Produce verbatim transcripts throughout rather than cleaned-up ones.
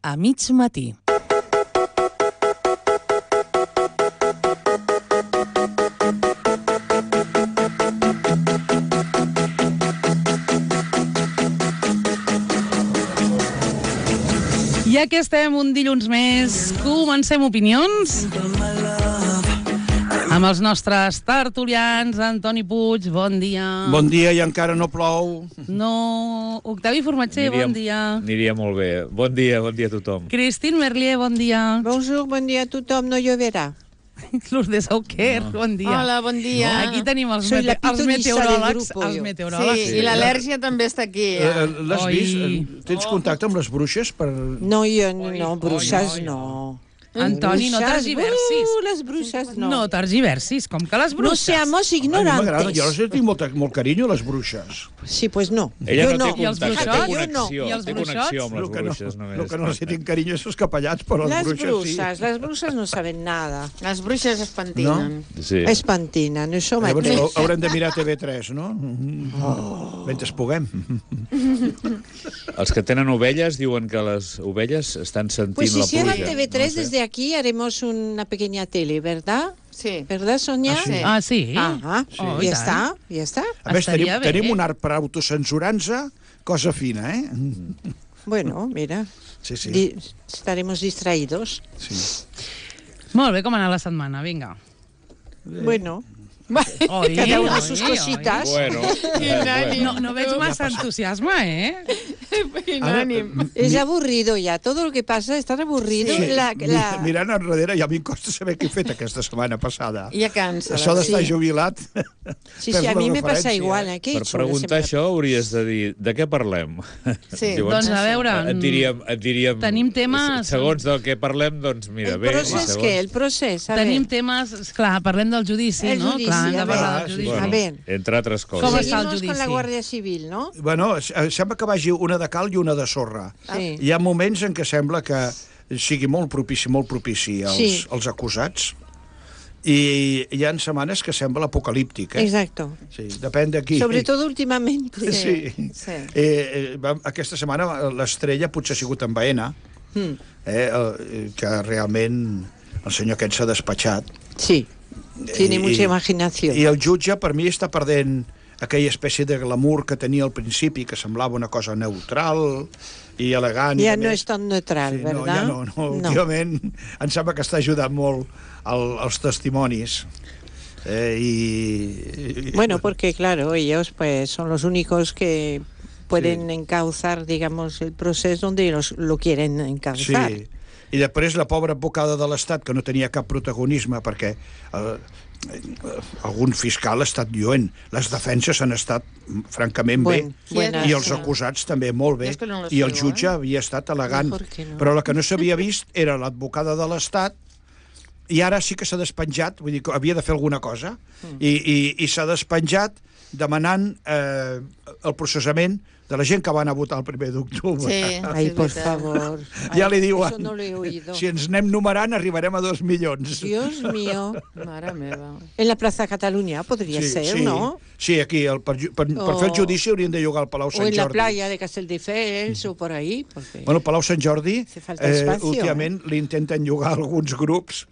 a mig matí. Ja que estem un dilluns més, comencem opinions amb els nostres tertulians. Antoni Puig, bon dia. Bon dia, i encara no plou. No, Octavi Formatger, bon dia. Aniria molt bé. Bon dia, bon dia a tothom. Christine Merlier, bon dia. Bonjour, bon dia a tothom, no lloverà. Lourdes Auquer, no. Bon dia. Hola, bon dia. Aquí tenim els, Soy mete la els meteoròlegs. Els Sí, meteoròlegs. sí, i l'al·lèrgia també està aquí. Eh, Ja. eh, L'has Oi. vist? Eh, Tens contacte amb les bruixes? Per... No, jo no, no bruixes oi, oi. no. Antoni, no Bruixes, tergiversis. Uh, les bruixes no. No tergiversis, com que les No bruixes. seamos A mi m'agrada, ignorantes. jo les tinc molt, molt carinyo, les bruixes. Sí, pues no. Ella jo no, no. té I els contacte, té bruixots? connexió, I els té bruixots? connexió amb les El que no, bruixes només. el que no els tinc carinyo és els capellans, però les, Les bruixes bruixes, sí. les bruixes no saben nada. Les bruixes es pentinen. Sí. Es pentinen, això Llavors mateix. hau- haurem de mirar T V tres, no? Oh. Mentre puguem. Els que tenen ovelles diuen que les ovelles estan sentint Pues si la cierran pluja. T V tres, No sé. desde aquí haremos una pequeña tele, ¿verdad? Sí. ¿Verdad, Sonia? Ah, sí. Ah, sí? Ajá. Oh, I i ja tant. està, ja està. A més, tenim, Estaria bé. tenim un art per autocensurar-nos, cosa fina, eh? Bueno, mira, Sí, sí. di- estaremos distraídos. sí. Molt bé, com ha anat la setmana? Vinga. Bueno, Oi, cada uno oi, sus oi. cositas. Bueno, eh, bueno. No, no veig massa entusiasme, eh? Ànim. Es aburrido ya, todo lo que pasa es tan aburrido. Sí. La, Mi- la... Mirant enrere, ja a mi em costa saber què he fet aquesta setmana passada. Ja cansa. Això d'estar Sí. jubilat... Sí, perds sí, a la mí me pasa referència, igual. eh? ¿eh? ¿Qué he Per hecho la preguntar semana- això hauries de dir de què parlem. Sí. Doncs a veure, Et diríem, et diríem... tenim temes- Segons del que parlem, doncs mira, El bé. procés, segons- què? El procés, a tenim ver. temes... Esclar, parlem del judici, El no? judici, Clar, hem de a parlar veure. del judici. Bueno, A ver. entre altres coses. Com està el Seguimos con la judici? Guardia Civil, ¿no? Bueno, s- eh, sembla que vagi una de cal i una de sorra. Sí. Hi ha moments en què sembla que sigui molt propici, molt propici als, Sí. als acusats, i hi ha setmanes que sembla apocalíptic, eh? Exacto. Sí, depèn de qui. Sobre todo últimamente. Sí. Sí. Eh, eh, va- aquesta setmana l'estrella potser ha sigut en Baena, Hmm. eh, el, que realment el senyor aquest s'ha despatxat. Sí. Tiene I- mucha i- imaginación. I el jutge, per mi, està perdent aquella espècie de glamour que tenia al principi, que semblava una cosa neutral i elegant. i Ya a no més- es tan neutral, Sí, no, ¿verdad? ja no, no. Últimament em sembla que està ajudant molt el, els testimonis. Eh, i, i, Bueno, porque claro, ellos pues son los únicos que pueden encauzar, digamos, el proceso donde los, lo quieren Sí, encauzar. i després la pobra advocada de l'Estat, que no tenia cap protagonisme, perquè eh, eh, algun fiscal ha estat lluent. Les defenses han estat francament bé, Buen- buenas, i els sí. acusats també molt bé, Jo és que no les i el sigo, jutge eh? havia estat elegant. Mejor que no. Però la que no s'havia vist era l'advocada de l'Estat, i ara sí que s'ha despenjat, vull dir que havia de fer alguna cosa, i, i, i s'ha despenjat demanant eh, el processament de la gent que van a votar el primer d'octubre. Sí. Ay, es por veritat. favor. Ja Ay, li diuen, Eso no lo he oído. si ens anem numerant arribarem a dos milions. Dios mío. Mare meva. En la Plaza Cataluña podría ser, sí. ¿no? Sí, aquí, el, per, per, per O- fer el judici haurien de llogar al Palau O Sant en la Jordi. playa de Castelldefels o por ahí. Porque... Bueno, el Palau Sant Jordi, Hace falta espacio, últimament li intenten llogar alguns grups,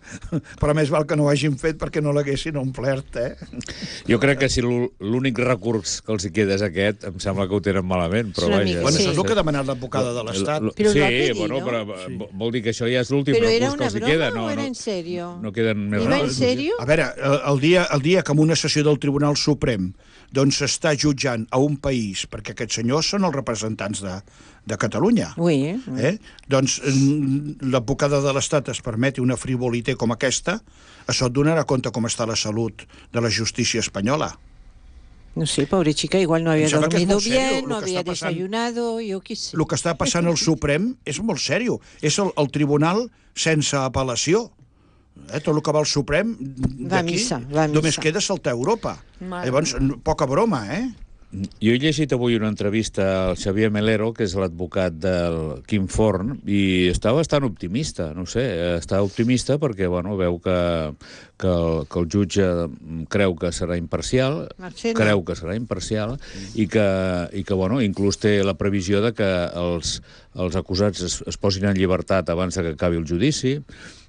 però més val que no ho hagin fet perquè no l'haguessin omplert, eh? Jo crec que si l'ú- l'únic recurs que els hi queda és aquest, em sembla que ho tenen malament, però És una vaja. mica, Bueno, sí. això és el que ha demanat l'advocada de l'Estat. L- Però sí, lo ha pedido. bueno, però Sí. sí. vol dir que això ja és l'últim Pero era recurs que una els hi broma queda. o No, era no, en serio? no queden més ¿Iba en recursos. serio? A veure, el, el, dia, el dia que en una sessió del Tribunal Suprem doncs s'està jutjant a un país, perquè aquests senyors són els representants de, de Catalunya, Oui, eh? eh? doncs mm, l'advocada de l'Estat es permeti una frivolité com aquesta, això et donarà compte com està la salut de la justícia espanyola. No sé, pobre chica, igual no había Em sembla que és dormido molt serio, bien, lo no que había està passant. desayunado, yo qué sé. El que està passant al Suprem és molt sèrio. És el, el tribunal sense apel·lació. Eh, tot el que va al Suprem Va a d'aquí missa, va a només missa. queda saltar a Europa. Mare Llavors, poca broma, eh? Jo he llegit avui una entrevista al Xavier Melero, que és l'advocat del Quim Forn, i està bastant optimista, no sé, està optimista perquè, bueno, veu que, que, el, que el jutge creu que serà imparcial, Marcelo. creu que serà imparcial, i que, i que bueno, inclús té la previsió de que els, els acusats es, es posin en llibertat abans de que acabi el judici,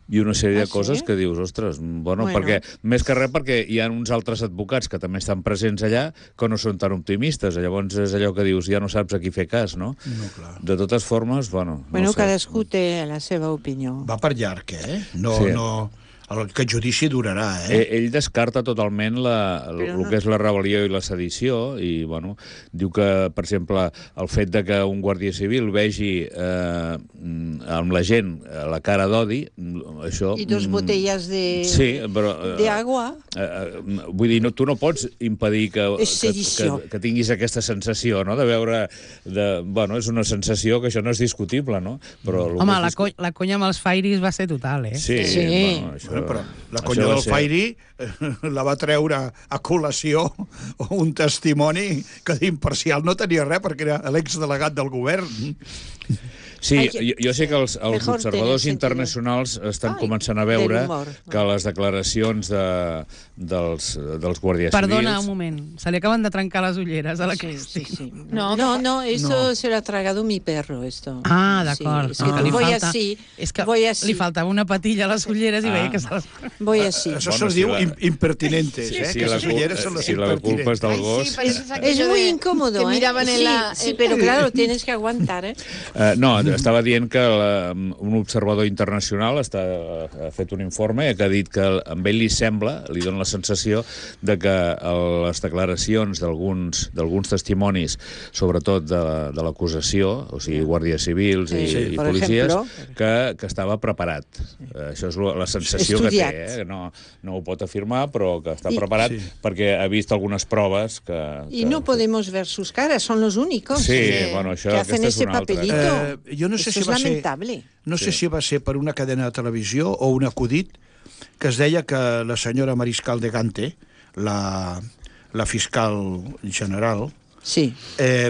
i una sèrie Ah, de coses sí? que dius, ostres, bueno, Bueno. perquè, més que res perquè hi ha uns altres advocats que també estan presents allà que no són tan optimistes, llavors és allò que dius, ja no saps a qui fer cas, no? No, clar. De totes formes, bueno... Bueno, no sé. cadascú té la seva opinió. Va per llarg, eh? No, Sí. no... El, aquest judici durarà, eh? Eh, ell descarta totalment la, el, Però el no- que és la rebel·lió i la sedició i, bueno, diu que, per exemple, el fet de que un guàrdia civil vegi eh, amb la gent la cara d'odi, això... I dos mm, botelles de, sí, però, eh, de agua. Eh, eh, vull dir, no, tu no pots impedir que, És que, sedició. que, que tinguis aquesta sensació, no?, de veure... De, bueno, és una sensació que això no és discutible, no? Però el Home, que és la, co la conya amb els fairis va ser total, eh? Sí, Sí. Bueno, això, Bueno, però la això conya va del ser- Fairi eh, la va treure a col·lació un testimoni que d'imparcial no tenia res perquè era l'exdelegat del govern. Sí, Ai, jo, jo sé que els, els mejor observadors tener internacionals estan Ai, començant a veure del humor, no? que les declaracions de, dels, dels guàrdies Perdona civils... un moment, se li acaban de trencar les ulleres a la Sí, Cristi. sí, sí. No, No, no, eso No. se lo ha tragado mi perro, esto. Ah, Sí, d'acord. es que Ah, li voy falta- así, és que voy así, li faltava una patilla a les ulleres i Ah. veia que se les... voy así. Això Bueno, se'ls si diu la- im impertinentes, Sí, eh? sí, que la, les cul- ulleres són les si la culpa és del impertinentes. gos... Ay, sí, parece Es aquello muy de- incómodo, que ¿eh? miraban en sí, la... sí, pero claro, tienes que aguantar, ¿eh? Eh, no, estava dient que la, un observador internacional està, ha fet un informe que ha dit que a ell li sembla, li dona la sensació de que el, les declaracions d'alguns d'alguns testimonis, sobretot de, de l'acusació, o sigui, guàrdies civils i, Sí, i per policies, ejemplo. que, que estava preparat. Eh, això és lo- la sensació Estudiat. que té, eh? No, no ho pot afirmar, però que està I- preparat Sí. perquè ha vist algunes proves que... Y que no podemos ver sus caras, son los únicos Sí, que, bueno, això- que hacen aquesta és ese una altra. papelito. Eh, jo no sé Eso si es va ser- lamentable. No sé Sí. si va ser per una cadena de televisió o un acudit que es deia que la senyora Mariscal de Gante, la, la fiscal general, Sí. eh,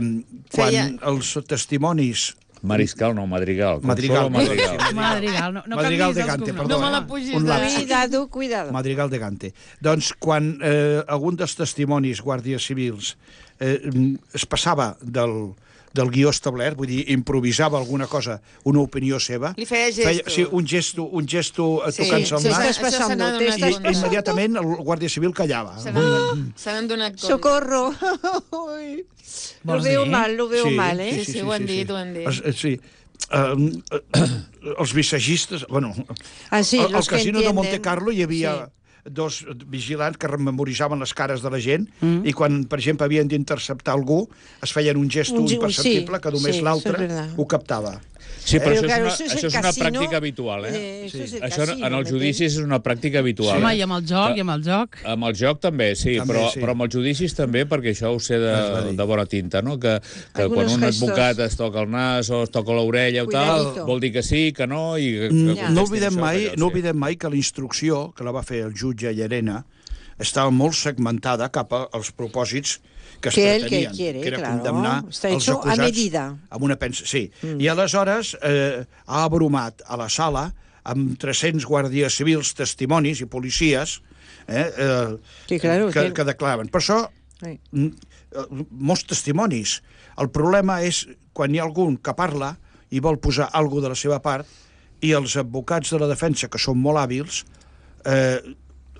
quan Feia- els testimonis... Mariscal, no, Madrigal. Madrigal, Consuelo Madrigal. perdó, sí, Madrigal, no, no Madrigal canviïs de els Gante, cognoms. perdó. No me la pugis Un de- lapsus. Cuidado, cuidado. Madrigal de Gante. Doncs quan eh, algun dels testimonis guàrdies civils eh, es passava del, del guió establert, vull dir, improvisava alguna cosa, una opinió seva... Li feia gestos. sí, un gesto, un gesto Sí, tocant-se el te nas, estás Això se pasando, n'ha te donat estás i compte. immediatament el guàrdia civil callava. Se n'han se n'han donat compte. ¡Socorro! Uy, lo Vols veo dir? mal, lo veo Sí, mal, ¿eh? Sí, sí, ho han dit, ho han dit. Es- eh, Sí. Uh, els visagistes... Bueno, Ah, sí, al, al los que casino de entienden. Monte Carlo hi havia dos vigilants que rememoritzaven les cares de la gent mm. i quan, per exemple, havien d'interceptar algú es feien un gest Un ge- imperceptible sí, que només sí, l'altre eso es verdad. ho captava. Sí, però Pero això, claro, és eso una, es això el és una casino, pràctica habitual, eh? eh, eso es el Això casino, en els meter- judicis és una pràctica habitual. Home, eh? i amb el joc, Que- i amb el joc. Amb el joc també, sí, També, però, sí. però amb els judicis també, perquè això ho sé Es va de, dir. de bona tinta, no? Que, que Algunos quan un gestos. advocat es toca el nas o es toca l'orella o tal, Cuidadito. vol dir que sí, que no, i que, que Mm, contestin no oblidem això, mai, que allò, no sí. oblidem mai que la instrucció que la va fer el jutge Llarena estava molt segmentada cap als propòsits que es Que él que pretenien, quiere, era claro. condemnar Está els hecho a acusats medida. amb una pensa. Sí. Mm. I aleshores eh, ha abrumat a la sala amb tres-cents guàrdies civils, testimonis i policies eh, eh, Sí, claro, que, que- que declaraven. Per això, Sí. mm, eh, molts testimonis. El problema és quan hi ha algun que parla i vol posar alguna de la seva part i els advocats de la defensa, que són molt hàbils, eh,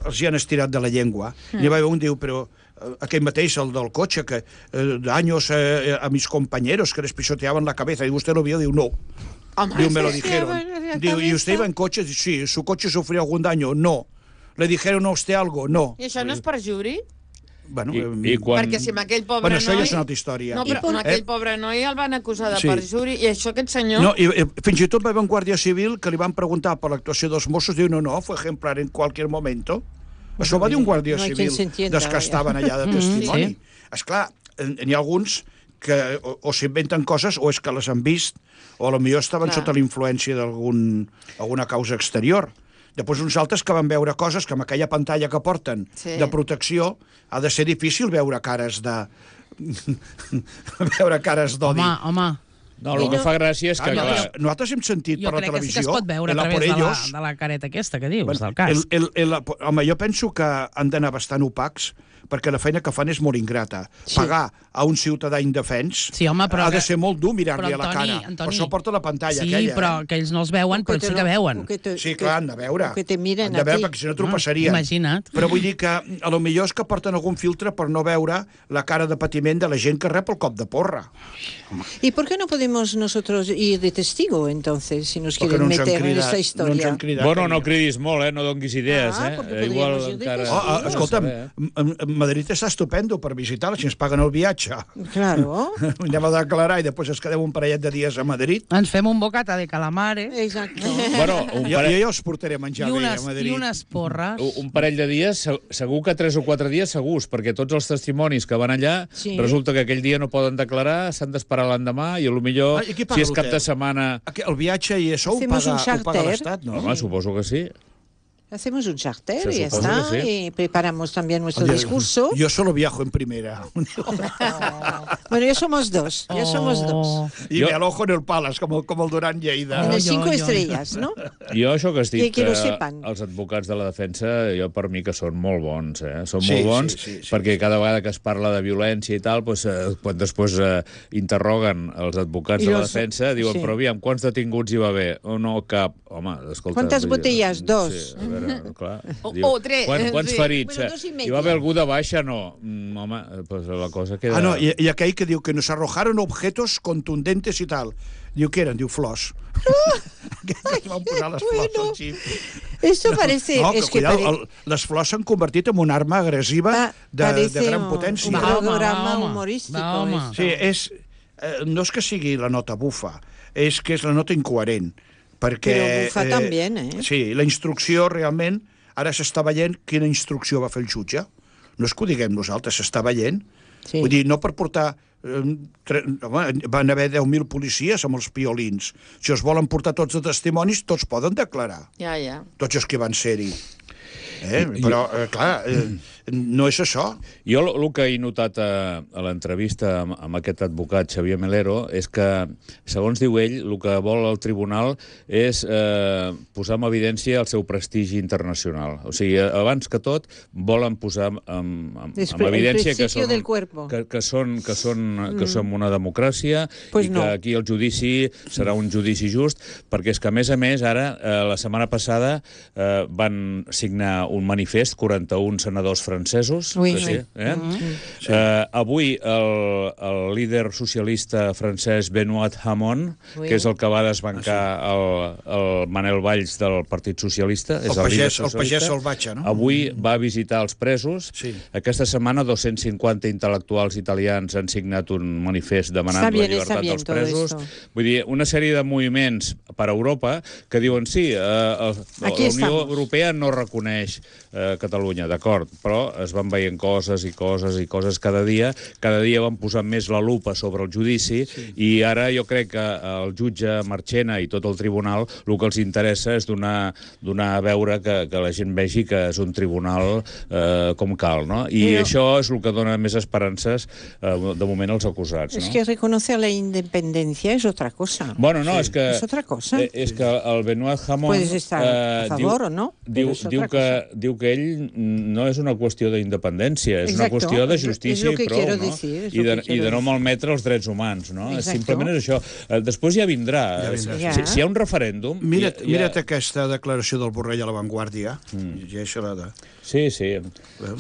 els hi han estirat de la llengua. Mm. I va haver un diu, però eh, aquell mateix, el del cotxe, que eh, d'anys eh, a mis compañeros que les pisoteaban la cabeza, y usted lo vio, diu, no. Home, Diu, me lo sí, dijeron. la Diu, ¿y usted cabeza? iba en coche? Sí. ¿Su coche sufrió algún daño? No. ¿Le dijeron a usted algo? No. I això no és perjuri? Bueno, I, eh, i quan... Perquè si amb aquell pobre bueno, això noi... ja és una altra història. No, però I- amb aquell eh? pobre noi el van acusar de Sí. perjuri i això aquest senyor... No, i, i, fins i tot va haver un guàrdia civil que li van preguntar per l'actuació dels Mossos, diu, no, no, fue ejemplar en cualquier momento. Això va dir un guàrdia No hay quien civil se entienda, dels que vaya. estaven allà de Mm, testimoni. sí. Esclar, n'hi ha alguns que o, o s'inventen coses o és que les han vist o a lo millor estaven Clar. sota la influència d'alguna causa exterior. Després uns altres que van veure coses que amb aquella pantalla que porten Sí. de protecció ha de ser difícil veure cares de veure cares d'odi. Home, home, No, el que fa gràcia és que, Ah, clar, nosaltres, nosaltres hem sentit jo per la crec que sí que televisió... es pot veure a el a través por de la, ellos, de la careta aquesta que dius, bueno, del cas. el, el, el, home, jo penso que han d'anar bastant opacs perquè la feina que fan és molt ingrata. Sí. Pagar a un ciutadà indefens Sí, home, però ha de que- ser molt dur mirar-li però, a la Antoni, cara. Antoni, Per això porta la pantalla sí, aquella. però Eh? que ells no els veuen, però sí que veuen. Sí, clar, han de veure. O que te miren han de a veure, ti. perquè si no t'ho passarien. Imagina't. Però vull dir que a lo millor és que porten algun filtre per no veure la cara de patiment de la gent que rep el cop de porra. ¿Y por qué no podemos nosotros ir de testigo, entonces, si nos Perquè quieren no ens han meter en cridat, esta no ens historia? han cridat. bueno, no cridis molt, eh? No donguis idees, Ah, eh? perquè Eh, podríamos ir de encara... testigo. Oh, oh, escolta'm, No sé, eh? M- M- Madrid està estupendo per visitar-la, si ens paguen el viatge. Claro. Anem a declarar i després ens quedem un parellet de dies a Madrid. Ens fem un bocata de calamares Exacto. Bueno, un Jo, jo parell, ja us portaré a menjar i bé unes, a i Madrid. unes porres. un parell de dies, se- segur que tres o quatre dies segurs, perquè tots els testimonis que van allà, Sí. resulta que aquell dia no poden declarar, s'han d'esperar l'endemà, i potser, Ah, i qui paga si és cap l'hotel? de setmana... Aqu- El viatge i això ho Hacemos paga, un ho paga charter. l'Estat, no? Home, suposo que sí. Hacemos un charter Se y ya supone está. que sí. Y preparamos también nuestro Oye, discurso. Yo solo viajo en primera. Bueno, ya somos dos. Ya somos dos. Oh. Y Yo- me alojo en el Palace, como, como el Durán Lleida. En Oh, el yo, cinco yo. estrellas, ¿no? Jo això que has dit, I que lo sepan. els advocats de la defensa, jo per mi que són molt bons, eh? Són Sí, molt bons, sí, sí, sí, perquè sí. cada vegada que es parla de violència i tal, doncs, eh, quan després eh, interroguen els advocats I de la los- defensa, diuen, sí. però aviam, quants detinguts hi va haver? Oh, no, cap. Home, escolta... Quantes vull dir, botelles? Dos. Sí, a veure, clar. O- Diu, o tres, Quan, quants sí. ferits? Bueno, dos i Hi media. va haver algú de baixa? No. Mm, home, pues la cosa queda... Ah, no, y, y aquell que diu que nos arrojaron objetos contundentes y tal. Diu, què eren? Diu, flors. Aquells que van posar les flors bueno. al xip. Esto parece... No, que, es que cuidado, pare- el, les flors s'han convertit en una arma agressiva pa- de, parece de gran un- potència. un Va, home, programa va, home. humorístico. Va, home. esto. Sí, és, eh, no és que sigui la nota bufa, és que és la nota incoherent. Perquè, Però bufa també, eh? Sí, la instrucció realment, ara s'està veient quina instrucció va fer el jutge. No és que ho diguem nosaltres, s'està veient. Sí. Vull dir, no per portar... Eh, tre... Home, van haver deu mil policies amb els piolins. Si els volen portar tots de testimonis, tots poden declarar. Ja, ja. Tots els que van ser-hi. Eh? Però, eh, clar, eh, no és això. Jo el que he notat a, a l'entrevista amb, amb aquest advocat, Xavier Melero, és que, segons diu ell, el que vol el tribunal és eh, posar en evidència el seu prestigi internacional. O sigui, abans que tot, volen posar en, en, Des- en evidència el que principio són, del cuerpo. que, que són, que són, que som una democràcia Pues i no. que aquí el judici serà un judici just, perquè és que, a més a més, ara, eh, la setmana passada, eh, van signar un manifest, quaranta-un senadors francesos. Ui, que sí, ui. eh? Eh, avui el, el líder socialista francès Benoît Hamon, Ui. que és el que va desbancar el, el Manel Valls del Partit Socialista, és El el, líder pagès, el socialista, pagès salvatge, no? avui va visitar els presos. Sí. Aquesta setmana dos-cents cinquanta intel·lectuals italians han signat un manifest demanant Està bien, la llibertat está bien dels todo presos. esto. Vull dir, una sèrie de moviments per a Europa que diuen sí, eh, el, la Aquí Unió estamos. Europea no reconeix eh, Catalunya, d'acord, però es van veient coses i coses i coses cada dia. Cada dia van posant més la lupa sobre el judici sí. i ara jo crec que el jutge Marchena i tot el tribunal el que els interessa és donar, donar a veure que, que la gent vegi que és un tribunal eh, com cal, no? I Però- això és el que dona més esperances eh, de moment als acusats, Es no? que reconocer la independencia es otra cosa. Bueno, no, és que... Es otra cosa. eh, És que el Benoît Hamon... Puedes estar a favor o no, Diu, però és diu, otra que, cosa. diu que ell no és una qüestió d'independència, és una Exacto, qüestió de es- justícia es lo que i prou, quiero no? decir, es I, lo de, que quiero I de no decir. malmetre els drets humans, no? Exacto. Simplement és això. Eh, Després ja vindrà. Ja vindrà, sí. Si, si hi ha un referèndum... Mira't, ja, ja... mira't aquesta declaració del Borrell a La Vanguardia. Mm. Llegeix-la de... Sí, sí.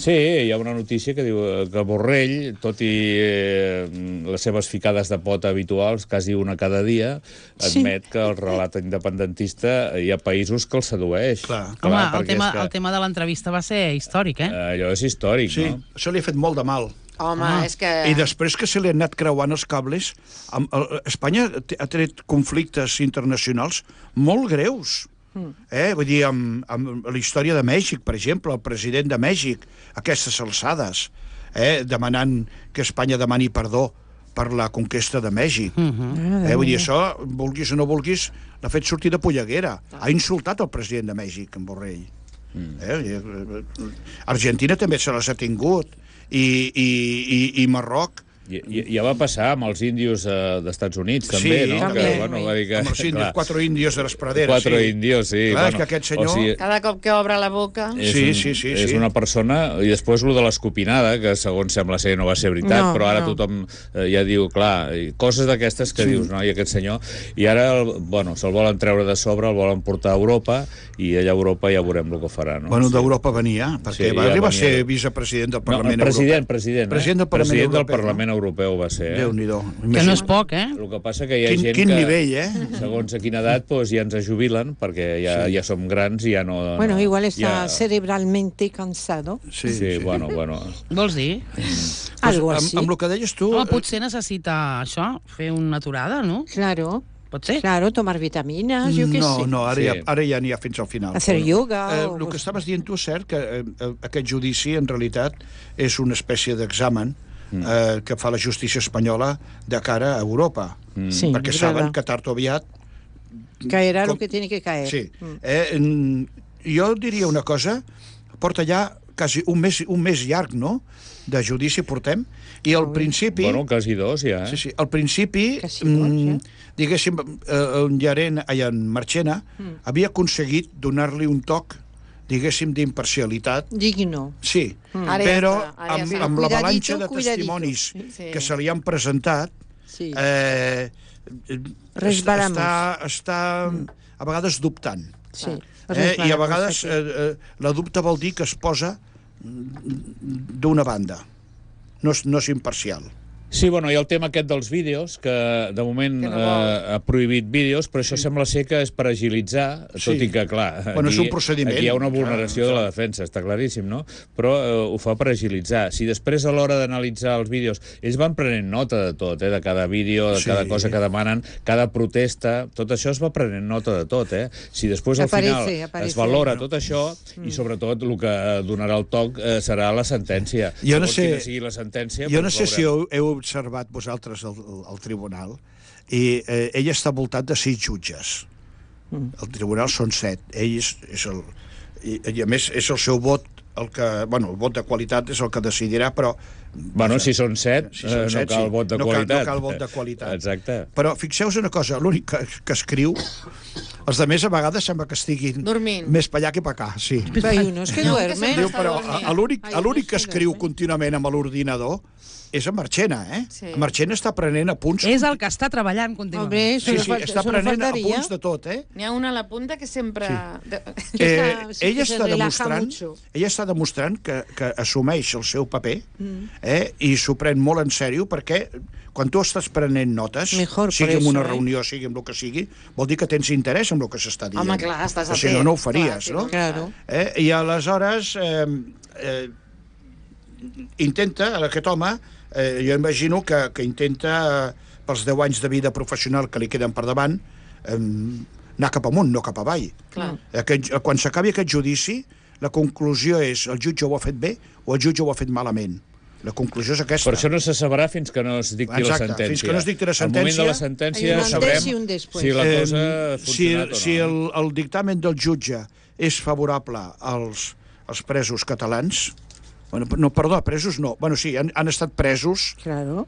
Sí, hi ha una notícia que diu que Borrell, tot i eh, les seves ficades de pota habituals, quasi una cada dia, admet sí. que el relat independentista hi ha països que el sedueix. Clar. Home, el perquè tema, és que, el tema de l'entrevista va ser històric, eh? Allò és històric, Sí, no? això li ha fet molt de mal. Home, Ah. és que... I després que se li han anat creuant els cables, amb, el, Espanya té- ha tret conflictes internacionals molt greus. Eh? Vull dir, amb, amb la història de Mèxic, per exemple, el president de Mèxic, aquestes alçades, eh? demanant que Espanya demani perdó per la conquesta de Mèxic. eh? Vull dir, això, vulguis o no vulguis, l'ha fet sortir de polleguera. Ha insultat el president de Mèxic, en Borrell. Eh? Argentina també se les ha tingut. I, i, i, i Marroc I, i, ja va passar amb els índios eh, dels Units, també, Sí, no? també. Que, bueno, va dir que, Amb els índios, clar, quatre índios de les praderes. Quatre sí. índios, sí. Clar, bueno, és que aquest senyor... o sigui, Cada cop que obre la boca... és Sí, un, sí, sí, És sí. una persona... I després lo de l'escopinada, que segons sembla ser no va ser veritat, No, però ara no. tothom eh, ja diu, clar, i coses d'aquestes que Sí. dius, no? I aquest senyor... I ara, el, bueno, se'l volen treure de sobre, el volen portar a Europa, i allà a Europa ja veurem el que farà, no? Bueno, d'Europa venia, perquè Sí, va ja arribar a venia. ser vicepresident del No, Parlament president, Europeu. president, eh? President del Parlament president del Europeu, Parlament Europeu va ser, eh? Déu-n'hi-do. Que no és poc, eh? El que passa que hi ha Quin, gent quin que... nivell, eh? Segons a quina edat, doncs, ja ens jubilen, perquè ja, Sí. ja som grans i ja no... Bueno, no, igual está ja... cerebralmente cansado. Sí, sí, bueno, bueno... Vols dir? Algo amb, así. amb el que deies tu... Home, eh, potser necessita això, fer una aturada, no? Claro, Pot ser? claro, tomar vitaminas, yo qué no, sé. no, ara, Sí. ja, ara ja n'hi ha fins al final. Hacer yoga Eh, o- el que estaves dient tu és cert que eh, eh, aquest judici en realitat és una espècie d'examen eh, que fa la justícia espanyola de cara a Europa. Sí, perquè es saben verdad. que tard o aviat... Caerá com- lo que tiene que caer. Sí. Mm. Eh, en- jo diria una cosa, porta ja quasi un mes, un mes llarg, no?, de judici portem, i al principi... Bueno, quasi dos, ja, eh? Sí, sí. Al principi, Quasi dos, mm, eh? diguéssim, eh, en Llarena, ai, en Marchena, Mm. havia aconseguit donar-li un toc, diguéssim, d'imparcialitat. Digno. Sí, Ara ja però està, ara ja amb, està. amb la Cuidadito, avalanxa de cuidadito. testimonis Sí. que se li han presentat, Sí. eh, Resbalamos. està, està a vegades dubtant. Sí. Eh? I a Resbalamos vegades aquí. eh, eh, la dubte vol dir que es posa d'una banda. No és, no és imparcial. Sí, bueno, hi ha el tema aquest dels vídeos, que de moment Que no eh, vol. ha prohibit vídeos, però això sembla ser que és per agilitzar, Sí. tot i que, clar, Bueno, és un procediment, aquí hi ha una clar, vulneració de la defensa, està claríssim, no? Però eh, ho fa per agilitzar. Si després, a l'hora d'analitzar els vídeos, ells van prenent nota de tot, eh? De cada vídeo, de Sí. cada cosa que demanen, cada protesta, tot això es va prenent nota de tot, eh? Si després, al Aparece, final, aparece. es valora tot això, i sobretot el que donarà el toc eh, serà la sentència. Jo no Segons sé- quina sigui la sentència, Jo no doncs sé si veurem. heu, heu observat vosaltres el, el tribunal, i eh, ell està voltat de sis jutges. El tribunal són set. Ell és, és el... I, I a més és el seu vot el que... Bueno, el vot de qualitat és el que decidirà, però... Bueno, si són set, Si són eh, set, no cal sí. vot de No cal- qualitat. no cal vot de qualitat. Exacte. Però fixeu-vos una cosa, l'únic que, que escriu, els de més a vegades sembla que estiguin Dormint. més per allà que per acá, sí. Hay unos que No, que duermen. sempre Diu, està però dormint. a- a l'únic Ai, a l'únic que no sé, escriu dormir. contínuament amb l'ordinador és en Marchena, eh? Sí. En Marchena està prenent apunts. És el que està treballant contínuament. Hombre, eso Sí, no sí, falta- està eso no prenent faltaría. apunts de tot, eh? N'hi ha una a la punta que sempre... De... Eh, Esa sí ell que se està relaja demostrant, mucho. ell està demostrant que, que assumeix el seu paper Mm. eh, i s'ho pren molt en sèrio, perquè quan tu estàs prenent notes, Mejor, sigui por en una eso, eh? reunió, sigui en el que sigui, vol dir que tens interès en el que s'està dient. Home, clar, estàs O si atent. no, no ho faries, Clar, sí, no? no? Claro. Eh? I aleshores eh, eh, intenta, aquest home, eh, jo imagino que, que intenta, eh, pels deu anys de vida professional que li queden per davant, eh, anar cap amunt, no cap avall. Clar. Aquest, quan s'acabi aquest judici, la conclusió és el jutge ho ha fet bé o el jutge ho ha fet malament. La conclusió és aquesta. Per això no se sabrà fins que no es dicti Exacte, la sentència. fins que no es dicti la Al moment de sentència, la sentència hay un antes sabrem y un después. si la Eh, cosa ha si, funcionat o no. si el, el dictamen del jutge és favorable als, als presos catalans, bueno, no, perdó, presos no, bueno, sí, han, han estat presos Claro.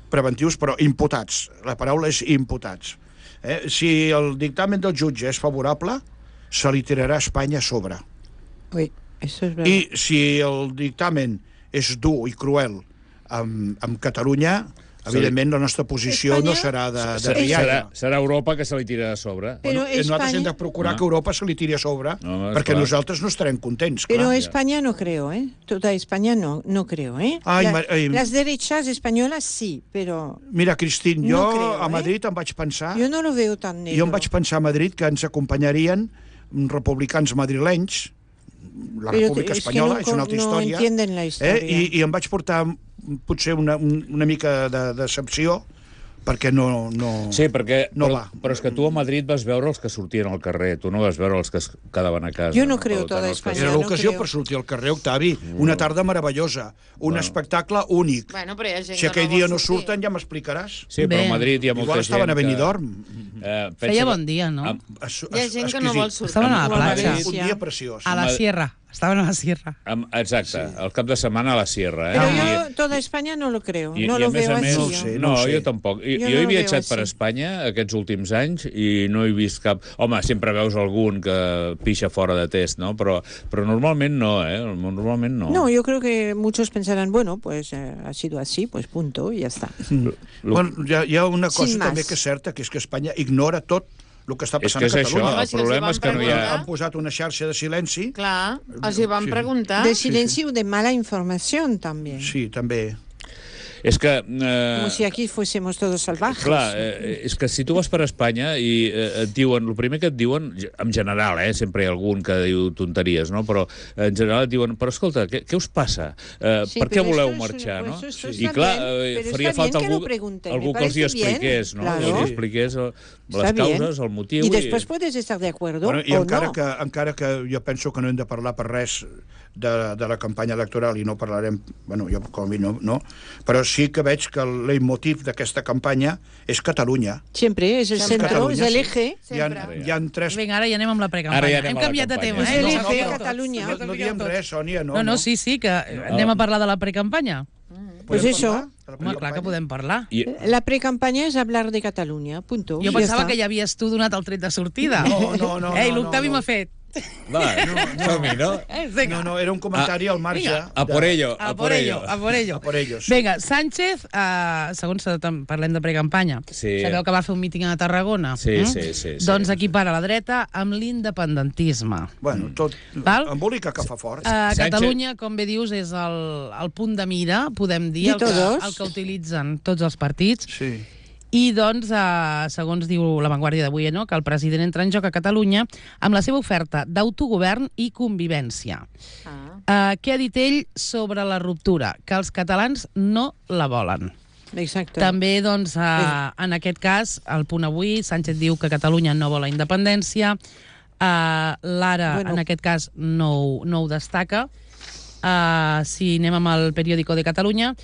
preventius, però imputats. La paraula és imputats. Eh? Si el dictamen del jutge és favorable, se li tirarà a Espanya a sobre. Uy, eso es verdad. I si el dictamen és dur i cruel amb, amb Catalunya, evidentment la nostra posició Espanya- no serà de, de Serà, rialla. serà Europa que se li tira a sobre. Pero Bueno, eh, nosaltres hem España- de procurar No. que Europa se li tiri a sobre, No, és perquè clar. nosaltres no estarem contents, Pero clar. España no creo, ¿eh? Toda España no, no creo, ¿eh? Ay, La- ma- ay. las derechas españolas sí, pero Mira, Cristín, jo No creo, a eh? Madrid em vaig pensar... yo no lo veo tan negro. Jo em vaig pensar a Madrid que ens acompanyarien republicans madrilenys, la Pero República es que Espanyola, no és una altra con- no història. entienden la història. Eh? I, I em vaig portar mm, potser una, un- una mica de decepció, perquè no... no... Sí, perquè, No però, va. però és que tu a Madrid vas veure els que sortien al carrer, tu no vas veure els que es quedaven a casa. Jo no creo Per tant, toda els que- España. Era no l'ocasió creo. per sortir al carrer, Octavi. Una tarda meravellosa, un Bueno. espectacle únic. Bueno, però hi ha gent Si que aquell no dia vol no sortir. surten, ja m'explicaràs. Sí, però Bé. a Madrid hi ha molta Igual gent estaven a que- Benidorm. Eh, pensa Feia que- bon dia, no? Am- Es- Hi ha es- gent que no exquisit. vol sortir. Estaven a la O a platja. Un dia preciós. A la Ma- sierra. Estaven a la sierra. Amb, exacte, sí. El cap de setmana a la Sierra. Eh? Pero I, yo toda España no lo creo, i, no i lo a més veo a més, así. no ho yo. sé. No, ho sé. jo tampoc. I, Jo jo no he lo viatjat veo per así. Espanya aquests últims anys i no he vist cap... Home, sempre veus algun que pixa fora de test, no? Però, però normalment no, eh? Normalment no. No, yo creo que muchos pensarán, bueno, pues eh, ha sido así, pues punto, y ya está. Mm. Bueno, hi ha, hi ha una cosa Sin també más. que és certa, que és que Espanya ignora tot el que està És passant que és a això, Catalunya. Home, el si els problema hi és que no hi ha... van Han posat una xarxa de silenci. Clar, els hi van Sí. preguntar. De silencio, de mala información también. Sí, també. És que... Eh, Como si aquí fuésemos todos salvajes. Clar, eh, és que si tu vas per Espanya i eh, et diuen, el primer que et diuen, en general, eh, sempre hi ha algun que diu tonteries, no? Però en general et diuen, però escolta, què, què us passa? Eh, Sí, per què pero voleu esto es- marxar, pues no? esto I está clar, bien, eh, pero faria está falta bien que algú, lo pregunten, algú me que els hi parece bien, expliqués, no? claro. Que els hi expliqués eh, les Está bien. causes, el motiu... Y después puedes estar de acuerdo Bueno, I o encara, no. que, encara que jo penso que no hem de parlar per res de, de la campanya electoral i no parlarem, bueno, jo com a mi no, no, però sí que veig que el leitmotiv d'aquesta campanya és Catalunya. Siempre es el Siempre. centro, es Catalunya, el sí. eje. Hi ha, Sempre. hi ha tres... Vinga, ara ja anem amb la Ara precampanya. ja anem Hem a la canviat de campanya. tema, És eh? el No, eje no, no. Catalunya. No, no diem res, Sònia, no. No, no, sí, sí, que anem a parlar de la precampanya. Pues Podem eso. parlar de la Home, clar que precampanya? podem parlar. I, La precampaña es hablar de Cataluña, punto. Jo Ya pensava está. que ja havies tu donat el tret de sortida. No, no, no, Ei, no, l'Octavi no, no. m'ha fet. va, som-hi, no? Eh, vinga. No, no, era un comentari al marge. vinga. A por ello, A por ello, a por ello. A por ello, sí. Vinga, Sánchez, uh, segons parlem de precampanya, Sí. sabeu que va fer un míting a Tarragona? Sí, Mm? sí, sí, sí. Doncs aquí para la dreta amb l'independentisme. Bueno, tot... Val? Embolica que fa fort. Uh, Sánchez- Catalunya, com bé dius, és el, el punt de mira, podem dir, De el que, todos. el que utilitzen tots els partits. Sí. I, doncs, eh, segons diu La Vanguardia d'avui, no?, que el president entra en joc a Catalunya amb la seva oferta d'autogovern i convivència. Ah. Eh, què ha dit ell sobre la ruptura? Que els catalans no la volen. Exacto. També, doncs, eh, en aquest cas, al punt avui, Sánchez diu que Catalunya no vol la independència. Eh, L'Ara, Bueno. en aquest cas, no, ho- no ho destaca. Eh, si anem amb el periòdico de Catalunya,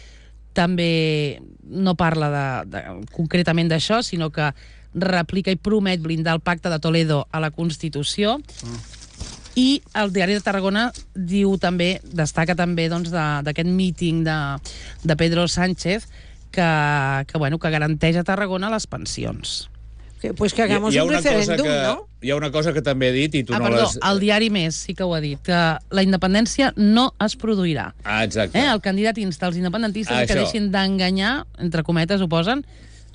també no parla de, de, concretament d'això, sinó que replica i promet blindar el pacte de Toledo a la Constitució. I el diari de Tarragona diu també, destaca també doncs, de- d'aquest míting de, de Pedro Sánchez que, que, bueno, que garanteix a Tarragona les pensions. Que- Pues que hagamos hi, hi ha un una cosa referéndum, que, ¿no? hi ha una cosa que també he dit i tu Ah, no perdó, l'has... el diari Més sí que ho ha dit, que la independència no es produirà. Ah, exacte. Eh? El candidat insta els independentistes Ah, que això. deixin d'enganyar, entre cometes ho posen,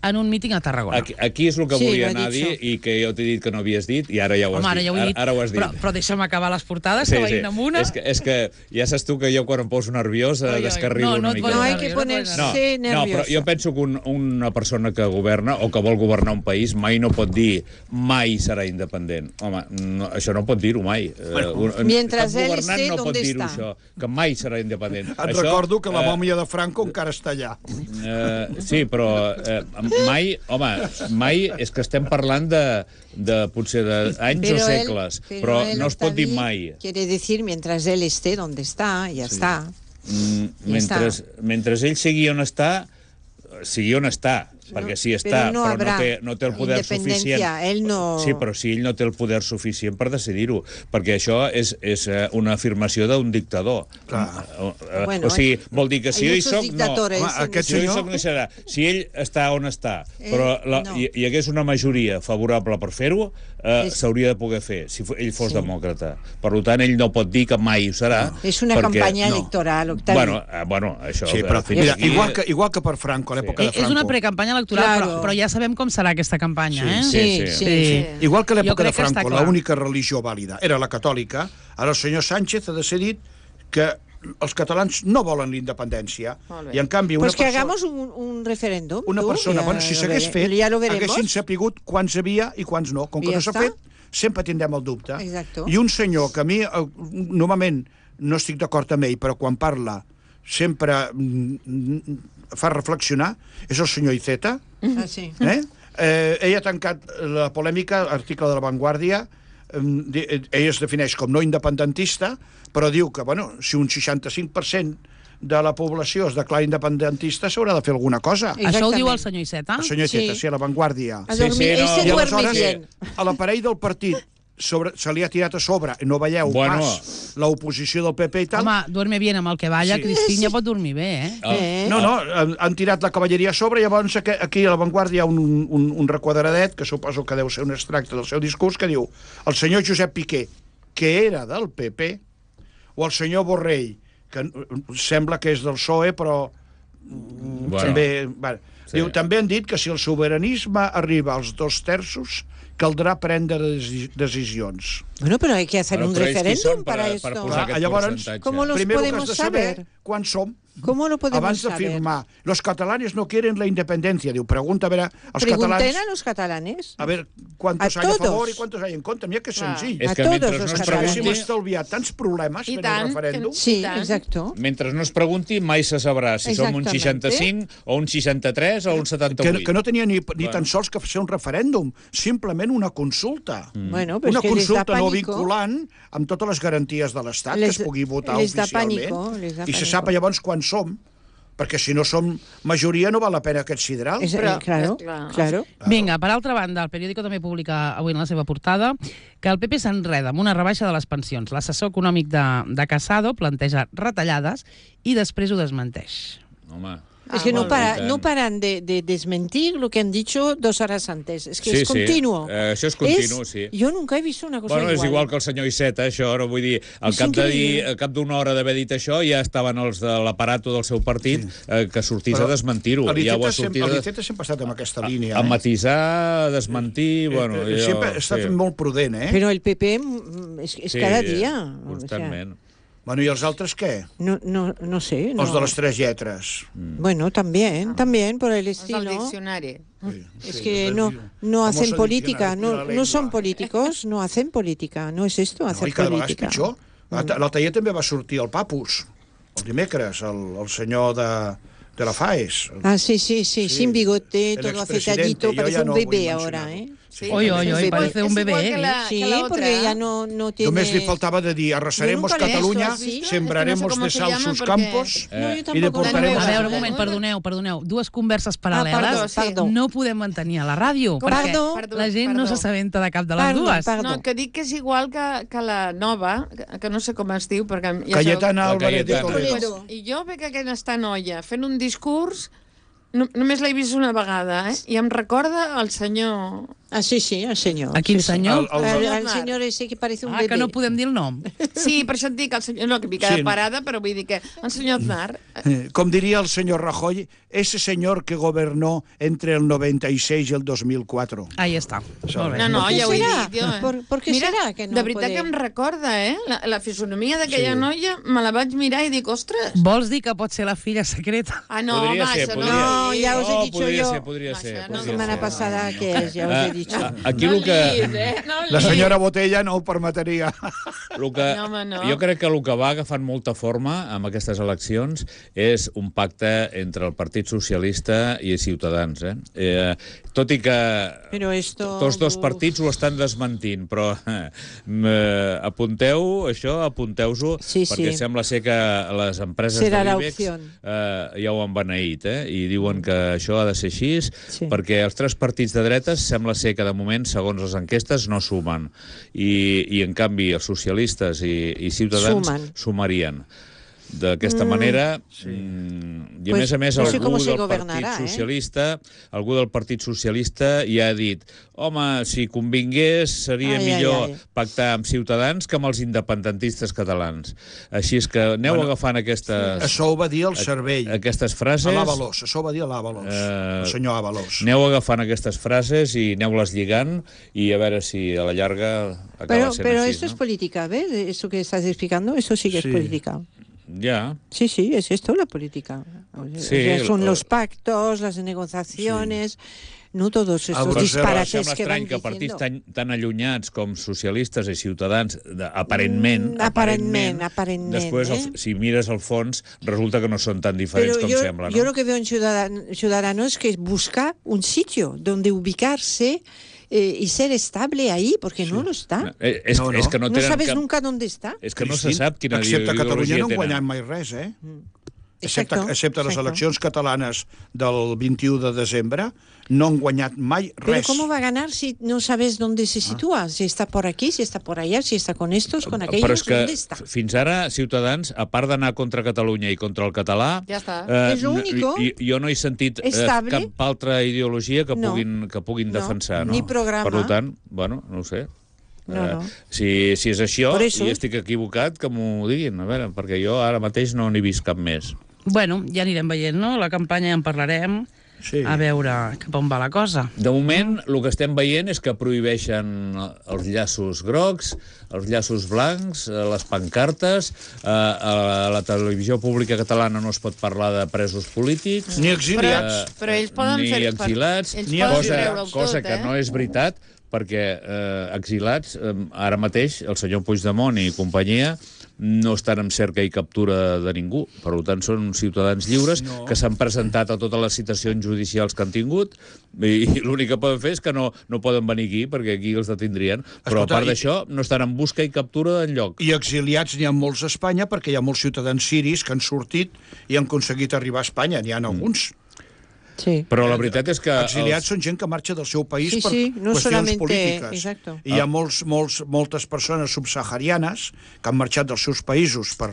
en un míting a Tarragona. Aquí, aquí és el que Sí, volia ho he anar a dit dir i que jo t'he dit que no havies dit i ara ja ho has Home, ara dit. ja ho he dit, Ara, ara ho has dit. però, però deixa'm acabar les portades, que veïn amb una. És que, és que ja saps tu que jo quan em poso nerviós Ai, ai, descarrilo no, no una et mica. posis No hay nerviós, que no et ponerse No, posis no, però nervioso. jo penso que un, una persona que governa o que vol governar un país mai no pot dir mai serà independent. Home, no, això no pot dir-ho mai. Bueno, Uh, un, mientras cap él governant esté no pot donde dir-ho está. això, que mai serà independent. Et això, recordo que la eh, mòmia de Franco encara està allà. Eh, sí, però eh, mai, home, mai és que estem parlant de, de potser d'anys o Pero él- segles, però él, no es pot dir Octavi, mai. Quiere decir mientras él esté donde está, ya está. Mm, Ja mentre, està. mentre ell sigui on està, sigui on està, perquè sí està, però no però no habrà té, no té el poder independència, suficient. ell no- Sí, però si ell no té el poder suficient per decidir-ho, perquè això és, és eh, una afirmació d'un dictador. Clar. Eh, eh, Bueno, o sigui, vol dir que si hay jo hi muchos soc, no. dictadores Home, en aquest Si jo hi senyor- soc, no hi serà. Si ell està on està, Ell però la, no. hi, hi hagués una majoria favorable per fer-ho, eh, És- s'hauria de poder fer, si fo- ell fos Sí. demòcrata. Per tant, ell no pot dir que mai ho serà. Es una perquè, campaña no. electoral, Octavio. Bueno, eh, bueno, això... Sí, eh, però fins mira, aquí- igual que, igual que per Franco, a l'època Eh, de Franco. és una precampanya electoral, Claro. però, però ja sabem com serà aquesta campanya, Sí, eh? sí, sí, sí. sí. Sí. Igual que a Jo l'època de crec que està Franco, clar. l'única religió vàlida era la catòlica, ara el senyor Sánchez ha decidit que els catalans no volen la independència. Molt bé. I en canvi una Pues que persona, hagamos un, un referéndum. una tú, persona ya bueno, si lo s'hagués vere- fet, ya lo veremos. haguessin sapigut quants hi havia i quants no. Com que I no ja s'ha està. fet, sempre tindrem el dubte. Exacto. I un senyor que a mi, eh, normalment, no estic d'acord amb ell, però quan parla sempre mm, mm, fa reflexionar, és el senyor Iceta. Ah, sí. Eh? Eh, ell ha tancat la polèmica, article de La Vanguardia, eh, di- eh, ell es defineix com no independentista, però diu que, bueno, si un seixanta-cinc per cent de la població es declara independentista, s'haurà de fer alguna cosa. Sí. Això ho diu el Exactament. senyor Iceta? El senyor Sí. Iceta, sí, a La Vanguardia. A Sí, dormir, sí, él no. se I duerme aleshores, bien. a l'aparell del partit sobre, se li ha tirat a sobre, i no veieu Bueno. pas l'oposició del P P i tal... Home, duerme bien amb el que balla, Sí. sí. Cristinya pot dormir bé, eh? Eh? No, no, han, han tirat la cavalleria a sobre, llavors aquí, aquí a l'avantguàrdia hi ha un, un, un requadradet, que suposo que deu ser un extracte del seu discurs, que diu el senyor Josep Piqué, que era del P P, o el senyor Borrell, que sembla que és del P S O E, però Bueno, també... Bueno, Sí. diu, també han dit que si el sobiranisme arriba als dos terços, caldrà prendre desi- decisions. Bueno, pero hay que hacer Bueno, un però ells qui referéndum són per- para per esto. posar Clar, aquest llavors, percentatge? ¿cómo los Primero que podemos has de saber saber? quan som. ¿Cómo lo podemos Abans de saber? firmar, los catalanes no quieren la independencia. Diu, pregunta a veure, els Pregunten catalans... a los catalanes. A ver cuántos A hay a todos. favor y cuántos hay en contra. Mira que Clar. senzill. És A que todos mentre los no es catalanes. Perquè si pregunti, m'estalviat tants problemes I fent tant, el referèndum... que- Sí, tant. exacto. mentre no es pregunti, mai se sabrà si som un Exactamente. seixanta-cinc o un seixanta-tres o un Que, setanta-vuit. que no tenia ni, ni Bueno. tan sols que fer un referèndum, simplement una consulta. Mm. Bueno, pues Una que les da consulta no pánico. vinculant amb totes les garanties de l'Estat, que Les- es pugui votar les da oficialment, pànico, les da i se pànico. sap llavors quan som, perquè si no som majoria no val la pena aquest sideral. Es- Però, eh, claro, eh, clar. claro. Vinga, per altra banda, el periòdico també publica avui en la seva portada que el P P s'enreda amb una rebaixa de les pensions. L'assessor econòmic de, de Casado planteja retallades i després ho desmenteix. Home, Es que no, molt para, bé. no paran de, de desmentir lo que han dicho dos horas antes. Es que Sí, es sí. continuo. Eh, això és continu, sí. Yo nunca he visto una cosa bueno, igual. és igual que el senyor Iceta, això, no vull dir, al És cap de dir, increïble. al cap d'una hora d'haver dit això, ja estaven els de l'aparato del seu partit sí. eh, que sortís Però a desmentir-ho. l'Iceta Ja ho ha sempre, sortit a, l'Iceta sempre ha estat en aquesta línia. a eh? matisar, a desmentir... Bueno, Eh, eh, jo, sempre ha estat sí. molt prudent, eh? Pero el P P mm, es, es Sí, cada día. o Constantment. sea, Bueno, i els altres què? no, no, no sé. No. Els de les tres lletres. Bueno, también, también por el És el estilo. diccionari. Sí, Es sí, que los no, del- no famoso hacen política, diccionario de no, la no son lengua. políticos, no hacen política, no es esto, No, hacer i cada vegada és política. pitjor. Mm. L'altre dia també va sortir el Papus, el dimecres, el, el senyor de, de la FAES. Ah, sí, sí, sí, Sí, sin bigote, el todo expresidente, afeitadito, yo parece ya un no bebé voy a ahora, mencionarlo. ¿eh? Sí, Oi, oi, oi, és igual- parece un és bebé, igual eh? que la, Sí, que la otra. porque ya no, no tiene... Només li faltava de dir, arrasaremos Yo nunca le he visto Cataluña, así. sembraremos Es que no sé de se sal llama sus porque- campos No, yo i tampoco deportaremos... A La veure, un nueva. moment, perdoneu, perdoneu. Dues converses paral·leles perdó, sí. perdó. no podem mantenir a la ràdio, Com- perquè Perdó. Perdó, la gent no perdó. s'assabenta de cap de les Perdó, dues. perdó. No, que dic que és igual que, que la nova, que, que no sé com es diu, perquè... Ja Cayetana La Álvarez de Cayetana. Toledo. Toledo. I jo veig aquesta noia fent un discurs, no, només l'he vist una vegada, eh? I em recorda el senyor... Ah, sí, sí, el señor. A quin sí, sí. senyor? El- Al, el- al señor ese que parece un Ah, bebé. que no podem dir el nom. Sí, per això et dic, el senyor... No, que m'hi queda Sí. parada, però vull dir que el senyor Aznar... Eh, Com diria el senyor Rajoy, ese señor que gobernó entre el noventa y seis y el dos mil cuatro. Ahí està. Molt bé. No, no, ¿Por qué ja ho he serà? dit jo. Eh? ¿Por- por qué Mira, serà que no de veritat puede? que em recorda, eh? La, la fisonomia d'aquella Sí. noia, me la vaig mirar i dic, ostres... Vols dir que pot ser la filla secreta? Ah, no, Podria home, ser, això podria. no. No, ya os he Oh, dicho podria yo. ser, podria No, ser. això no La podria semana ser. pasada que es, ya os he dicho. Ah, Aquí no el que... liis, eh? No La liis. senyora Botella no ho permetria. El que, No, home, no. Jo crec que el que va agafant molta forma amb aquestes eleccions és un pacte entre el Partit Socialista i Ciutadans. Eh? Eh, tot i que Pero esto... tots dos uf. partits ho estan desmentint, però eh, apunteu això, apunteu-ho, Sí, perquè sí. sembla ser que les empreses Serà de la l'IBEX opción. eh, ja ho han beneït, eh? I diuen que això ha de ser així, Sí. perquè els tres partits de dretes sembla ser que de moment, segons les enquestes, no sumen. I, i en canvi, els socialistes i, i Ciutadans Sumen. sumarien. D'aquesta mm, manera, sí. mm, i a Pues més a més no sé algú cómo se del gobernará, Partit eh? Socialista, algú del Partit Socialista ja ha dit, home, si convingués seria Ai, millor ai, ai. pactar amb Ciutadans que amb els independentistes catalans. Així és que aneu Bueno, agafant aquestes, Això ho va dir el cervell. aquestes A frases, l'Avalos, això ho va dir a l'Avalos, Eh, el senyor Avalos. aneu agafant aquestes frases i aneu-les lligant i a veure si a la llarga acaba Pero, sent pero així, esto no? es política, ¿ves? Eso que estás explicando, eso sí que Sí. es política. Ja. Sí, sí, es esto la política. O sea, Sí, o sea, son el- los pactos, las negociaciones, no todos estos Ah, però disparates Sembla que van estrany que partits diciendo. tan, tan allunyats com socialistes i ciutadans, de, aparentment, Mm, aparentment, aparentment, després, eh? el, si mires al fons, resulta que no són tan diferents Pero com yo, sembla, no? yo lo que veo en Ciudadan- Ciudadanos es que busca un sitio donde ubicarse eh, y ser estable ahí, porque no lo está. Eh, és, No, no. és que no No tenen sabes cap... nunca dónde está. És que no se Cristín, sap quina excepte a Catalunya ideologia no han tenen. guanyat mai res, eh? excepte, Exacto, excepte les exacto. eleccions catalanes del vint-i-u de desembre, no han guanyat mai Pero res. ¿cómo va a ganar si no sabes dónde se sitúa? Si está por aquí, si está por allá, si está con estos, con aquellos, Però és que ¿dónde está? fins ara, Ciutadans, a part d'anar contra Catalunya i contra el català, Ja està. És l'único i- i- jo no he sentit eh, estable. cap altra ideologia que No. puguin, que puguin No. defensar. No? Ni programa. Per tant, bueno, no ho sé. No, Eh, no. Si, si és això Por eso. i estic equivocat, que m'ho diguin, a veure, perquè jo ara mateix no n'he vist cap més. Bueno, ja anirem veient, no? La campanya ja en parlarem, Sí. a veure cap on va la cosa. De moment, el que estem veient és que prohibeixen els llaços grocs, els llaços blancs, eh, les pancartes, eh, a la televisió pública catalana no es pot parlar de presos polítics, Ni Però, exiliats. però ells poden ni fer... exilats, Ells Ni poden cosa, treure-ho cosa tot, que eh? no és veritat, perquè eh, exilats, eh, ara mateix, el senyor Puigdemont i companyia no estan en cerca i captura de ningú. Per tant, són ciutadans lliures No. que s'han presentat a totes les citacions judicials que han tingut i, i l'únic que poden fer és que no, no poden venir aquí, perquè aquí els detindrien. Però Escolta, a part i- d'això, no estan en busca i captura d'enlloc. I exiliats n'hi ha molts a Espanya, perquè hi ha molts ciutadans siris que han sortit i han aconseguit arribar a Espanya. N'hi ha alguns. Sí. Però la veritat és que... Exiliats els- són gent que marxa del seu país Sí, per sí, no qüestions solamente- polítiques. exacto. I hi ha molts, molts, moltes persones subsaharianes que han marxat dels seus països per,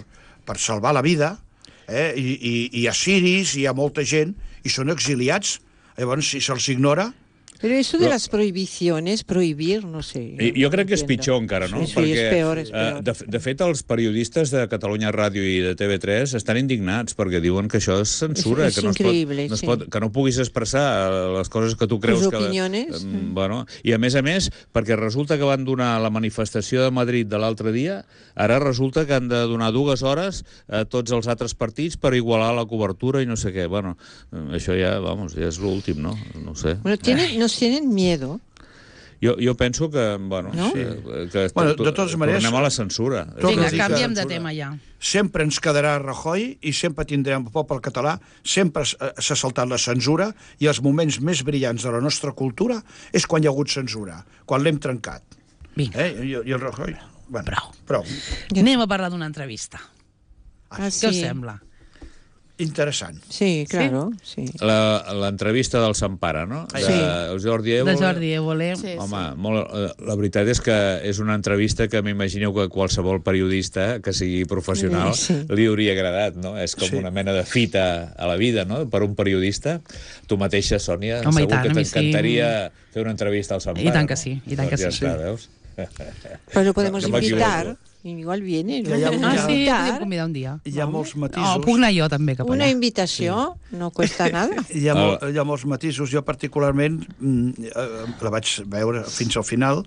per salvar la vida, eh? I, i, i hi ha siris, hi ha molta gent, i són exiliats. Llavors, si se'ls ignora... Pero eso de Però- las prohibiciones, prohibir, no sé. I- Jo crec que és entiendo. pitjor encara, no? Sí, sí, és peor, és eh, peor. de, de fet, els periodistes de Catalunya Ràdio i de T V tres estan indignats perquè diuen que això és censura, És- és que, no es pot, increïble, no es sí. pot, que no puguis expressar les coses que tu creus Tus que... opiniones. Eh, bueno, I a més a més, perquè resulta que van donar la manifestació de Madrid de l'altre dia, ara resulta que han de donar dues hores a tots els altres partits per igualar la cobertura i no sé què. Bueno, eh, això ja, vamos, ja és l'últim, no? No ho sé. Bueno, tienen, nos tienen miedo. Jo, jo penso que, bueno, No? sí, que Bueno, to- de totes maneres- tornem a la censura. Tot Vinga, el que- canviem de Censura. tema ja. Sempre ens quedarà Rajoy i sempre tindrem el poble català, sempre s- eh, s'ha saltat la censura i els moments més brillants de la nostra cultura és quan hi ha hagut censura, quan l'hem trencat. Vinga, Eh? I, I el Rajoy... Bueno, Prou. prou. anem a parlar d'una entrevista. Ah, Què us sí. sembla? Interessant. Sí, claro, sí. La- L'entrevista del Sampara, no? De Sí. el Jordi Évole. De Jordi Évole. Sí, Home, molt, eh, la veritat és que és una entrevista que m'imagineu que qualsevol periodista que sigui professional Sí, sí. li hauria agradat, no? És com Sí. una mena de fita a la vida, no?, per un periodista. Tu mateixa, Sònia, Home, i segur tant, que a mi sí. t'encantaria fer una entrevista al Sampara. I tant que no? sí, i tant que Doncs ja sí. està, veus? Pero lo podemos Que m'equivoco. invitar. Igual viene. Ja hi ha un- Ah, ja- sí, Invitar. podríem convidar un dia. Hi ha molts matisos. Oh, puc anar jo també cap Una allà. invitació no cuesta nada. Hi ha, molt, hi ha molts matisos. Jo particularment mm, eh, la vaig veure fins al final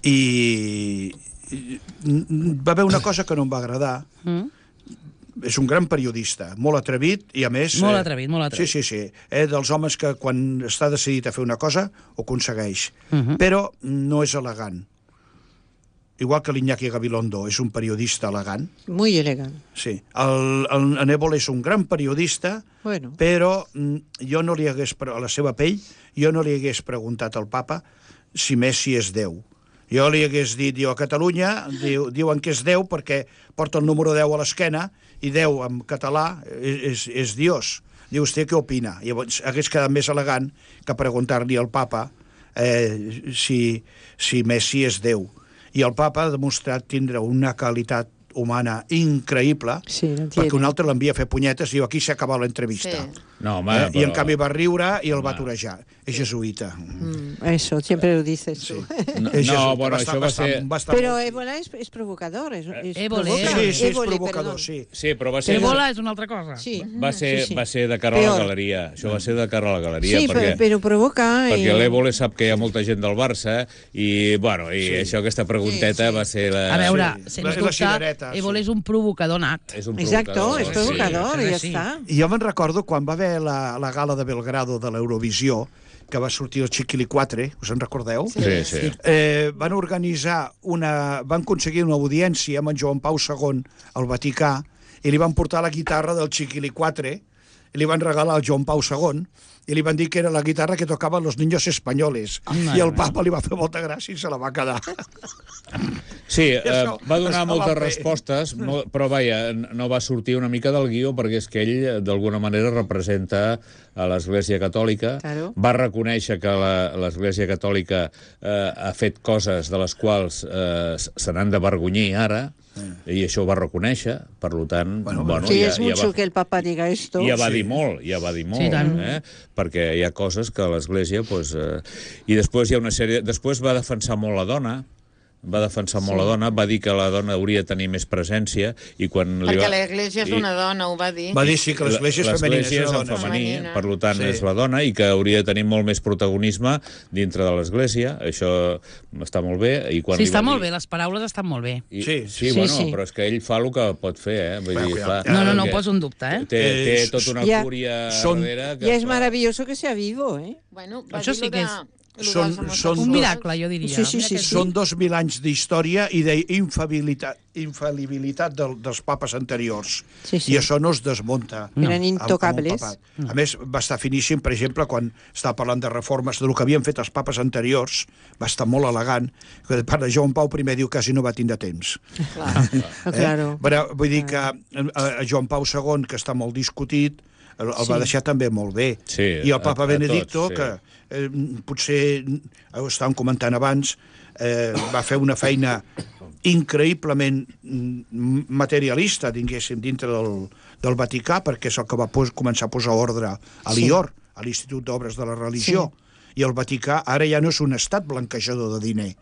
i, i mm, va haver una cosa que no em va agradar. Mm? És un gran periodista, molt atrevit i a més... Molt eh, atrevit, molt atrevit. Sí, sí, sí. Eh, dels homes que quan està decidit a fer una cosa ho aconsegueix. Mhm. Però no és elegant. Igual que l'Iñaki Gabilondo és un periodista elegant. Muy elegante. Sí. El, el, en Évole és un gran periodista, Bueno. però mm, jo no li hagués, pre- a la seva pell, jo no li hagués preguntat al papa si Messi és Déu. Jo li hagués dit, jo a Catalunya diu, diuen que és Déu perquè porta el número deu a l'esquena i Déu en català és, és, és Dios. Diu, vostè què opina? Llavors hagués quedat més elegant que preguntar-li al papa eh, si, si Messi és Déu. I el papa ha demostrat tindre una qualitat humana increïble, Sí, lo perquè un tiene. altre l'envia a fer punyetes i diu, aquí s'ha acabat l'entrevista. Sí. No, home, Eh? I en però- canvi va riure i el va atorejar. És jesuïta. Mm, Eso, siempre lo dices tú. No, És jesuïta. no, bueno, Va estar- això va va estar- ser... va estar Pero molt- Ébola es, es provocador. Es, es Évole, provoca. Sí, sí, és Évole, provocador, perdón. sí. Sí, però va ser... Ébola és una altra cosa. Sí. Va ser, Sí, sí. va ser de cara a Peor. la galeria. Això va ser de cara a la galeria. Sí, perquè, pero, pero provoca. perquè eh, l'Évole sap que hi ha molta gent del Barça i, bueno, i Sí. això, aquesta pregunteta Sí, sí. va ser la... A veure, Sí. sens La- la dubte, cirereta, sí. Évole és un provocador nat. És un Exacto, es sí. provocador, sí, ya sí. está. I jo me'n recordo quan va haver la, la gala de Belgrado de l'Eurovisió, que va sortir el Chiquili quatre, us en recordeu? Sí, sí. Eh, van organitzar una... van aconseguir una audiència amb en Joan Pau segon al Vaticà i li van portar la guitarra del Chiquili quatre i li van regalar al Joan Pau segon i li van dir que era la guitarra que tocaven los niños españoles. Home, I el papa li va fer molta gràcia i se la va quedar. Sí, I eh, això va donar estava moltes bé. respostes, mo- però vaja, no va sortir una mica del guió perquè és que ell, d'alguna manera, representa a l'Església Catòlica. Claro. Va reconèixer que la- l'Església Catòlica eh, ha fet coses de les quals eh, se n'han d'avergonyir ara, i això ho va reconèixer, per tant... Bueno, bueno, Sí, ja, es ja mucho va, que el Papa diga esto. ja va Sí. dir molt, ja va dir molt, Sí, tant. eh? Perquè hi ha coses que l'Església... Pues, eh... I després hi ha una sèrie... Després va defensar molt la dona, va defensar molt la dona, va dir que la dona hauria de tenir més presència, i quan li Perquè va... l'Església és i- una dona, ho va dir. Va dir sí que l'església és femenina. L'Església és una en dona. femení, Femenina. per tant Sí. és la dona, i que hauria de tenir molt més protagonisme dintre de l'Església. Això està molt bé. I quan Sí, li està va molt dir- bé, les paraules estan molt bé. I, Sí, sí, sí, bueno, sí. però és que ell fa el que pot fer, eh? Vull Bueno, dir, cuidado. clar, No, no, no ho perquè poso en dubte, eh? Té, té Eh, tota una ja- fúria són- darrere. Que Ya es fa- maravilloso que sea vivo, ¿eh? Bueno, va Això dir sí lo que de, és- lo dels són- homosexuals. són Un dos- miracle, jo diria. Sí, sí, Mira sí, que sí. Són dos mil anys d'història i d'infal·libilitat infal·libilitat del, dels papes anteriors. Sí, sí. I això no es desmunta. Eren amb- amb un intocables. papat. A més, va estar finíssim, per exemple, quan estava parlant de reformes, del que havien fet els papes anteriors, va estar molt elegant, que de part de Joan Pau I diu quasi no va tindre temps. Clar. Ah, claro. Però, vull dir que eh, a Joan Pau segon, que està molt discutit, el, el va Sí. deixar també molt bé. Sí, I a- el papa a Benedicto, tots, sí. que eh, potser, ho estàvem comentant abans, eh, va fer una feina increïblement mm, materialista, diguéssim, dintre del, del Vaticà, perquè és el que va pos, començar a posar ordre a l'I O R, a l'Institut d'Obres de la Religió. I el Vaticà ara ja no és un estat blanquejador de diner.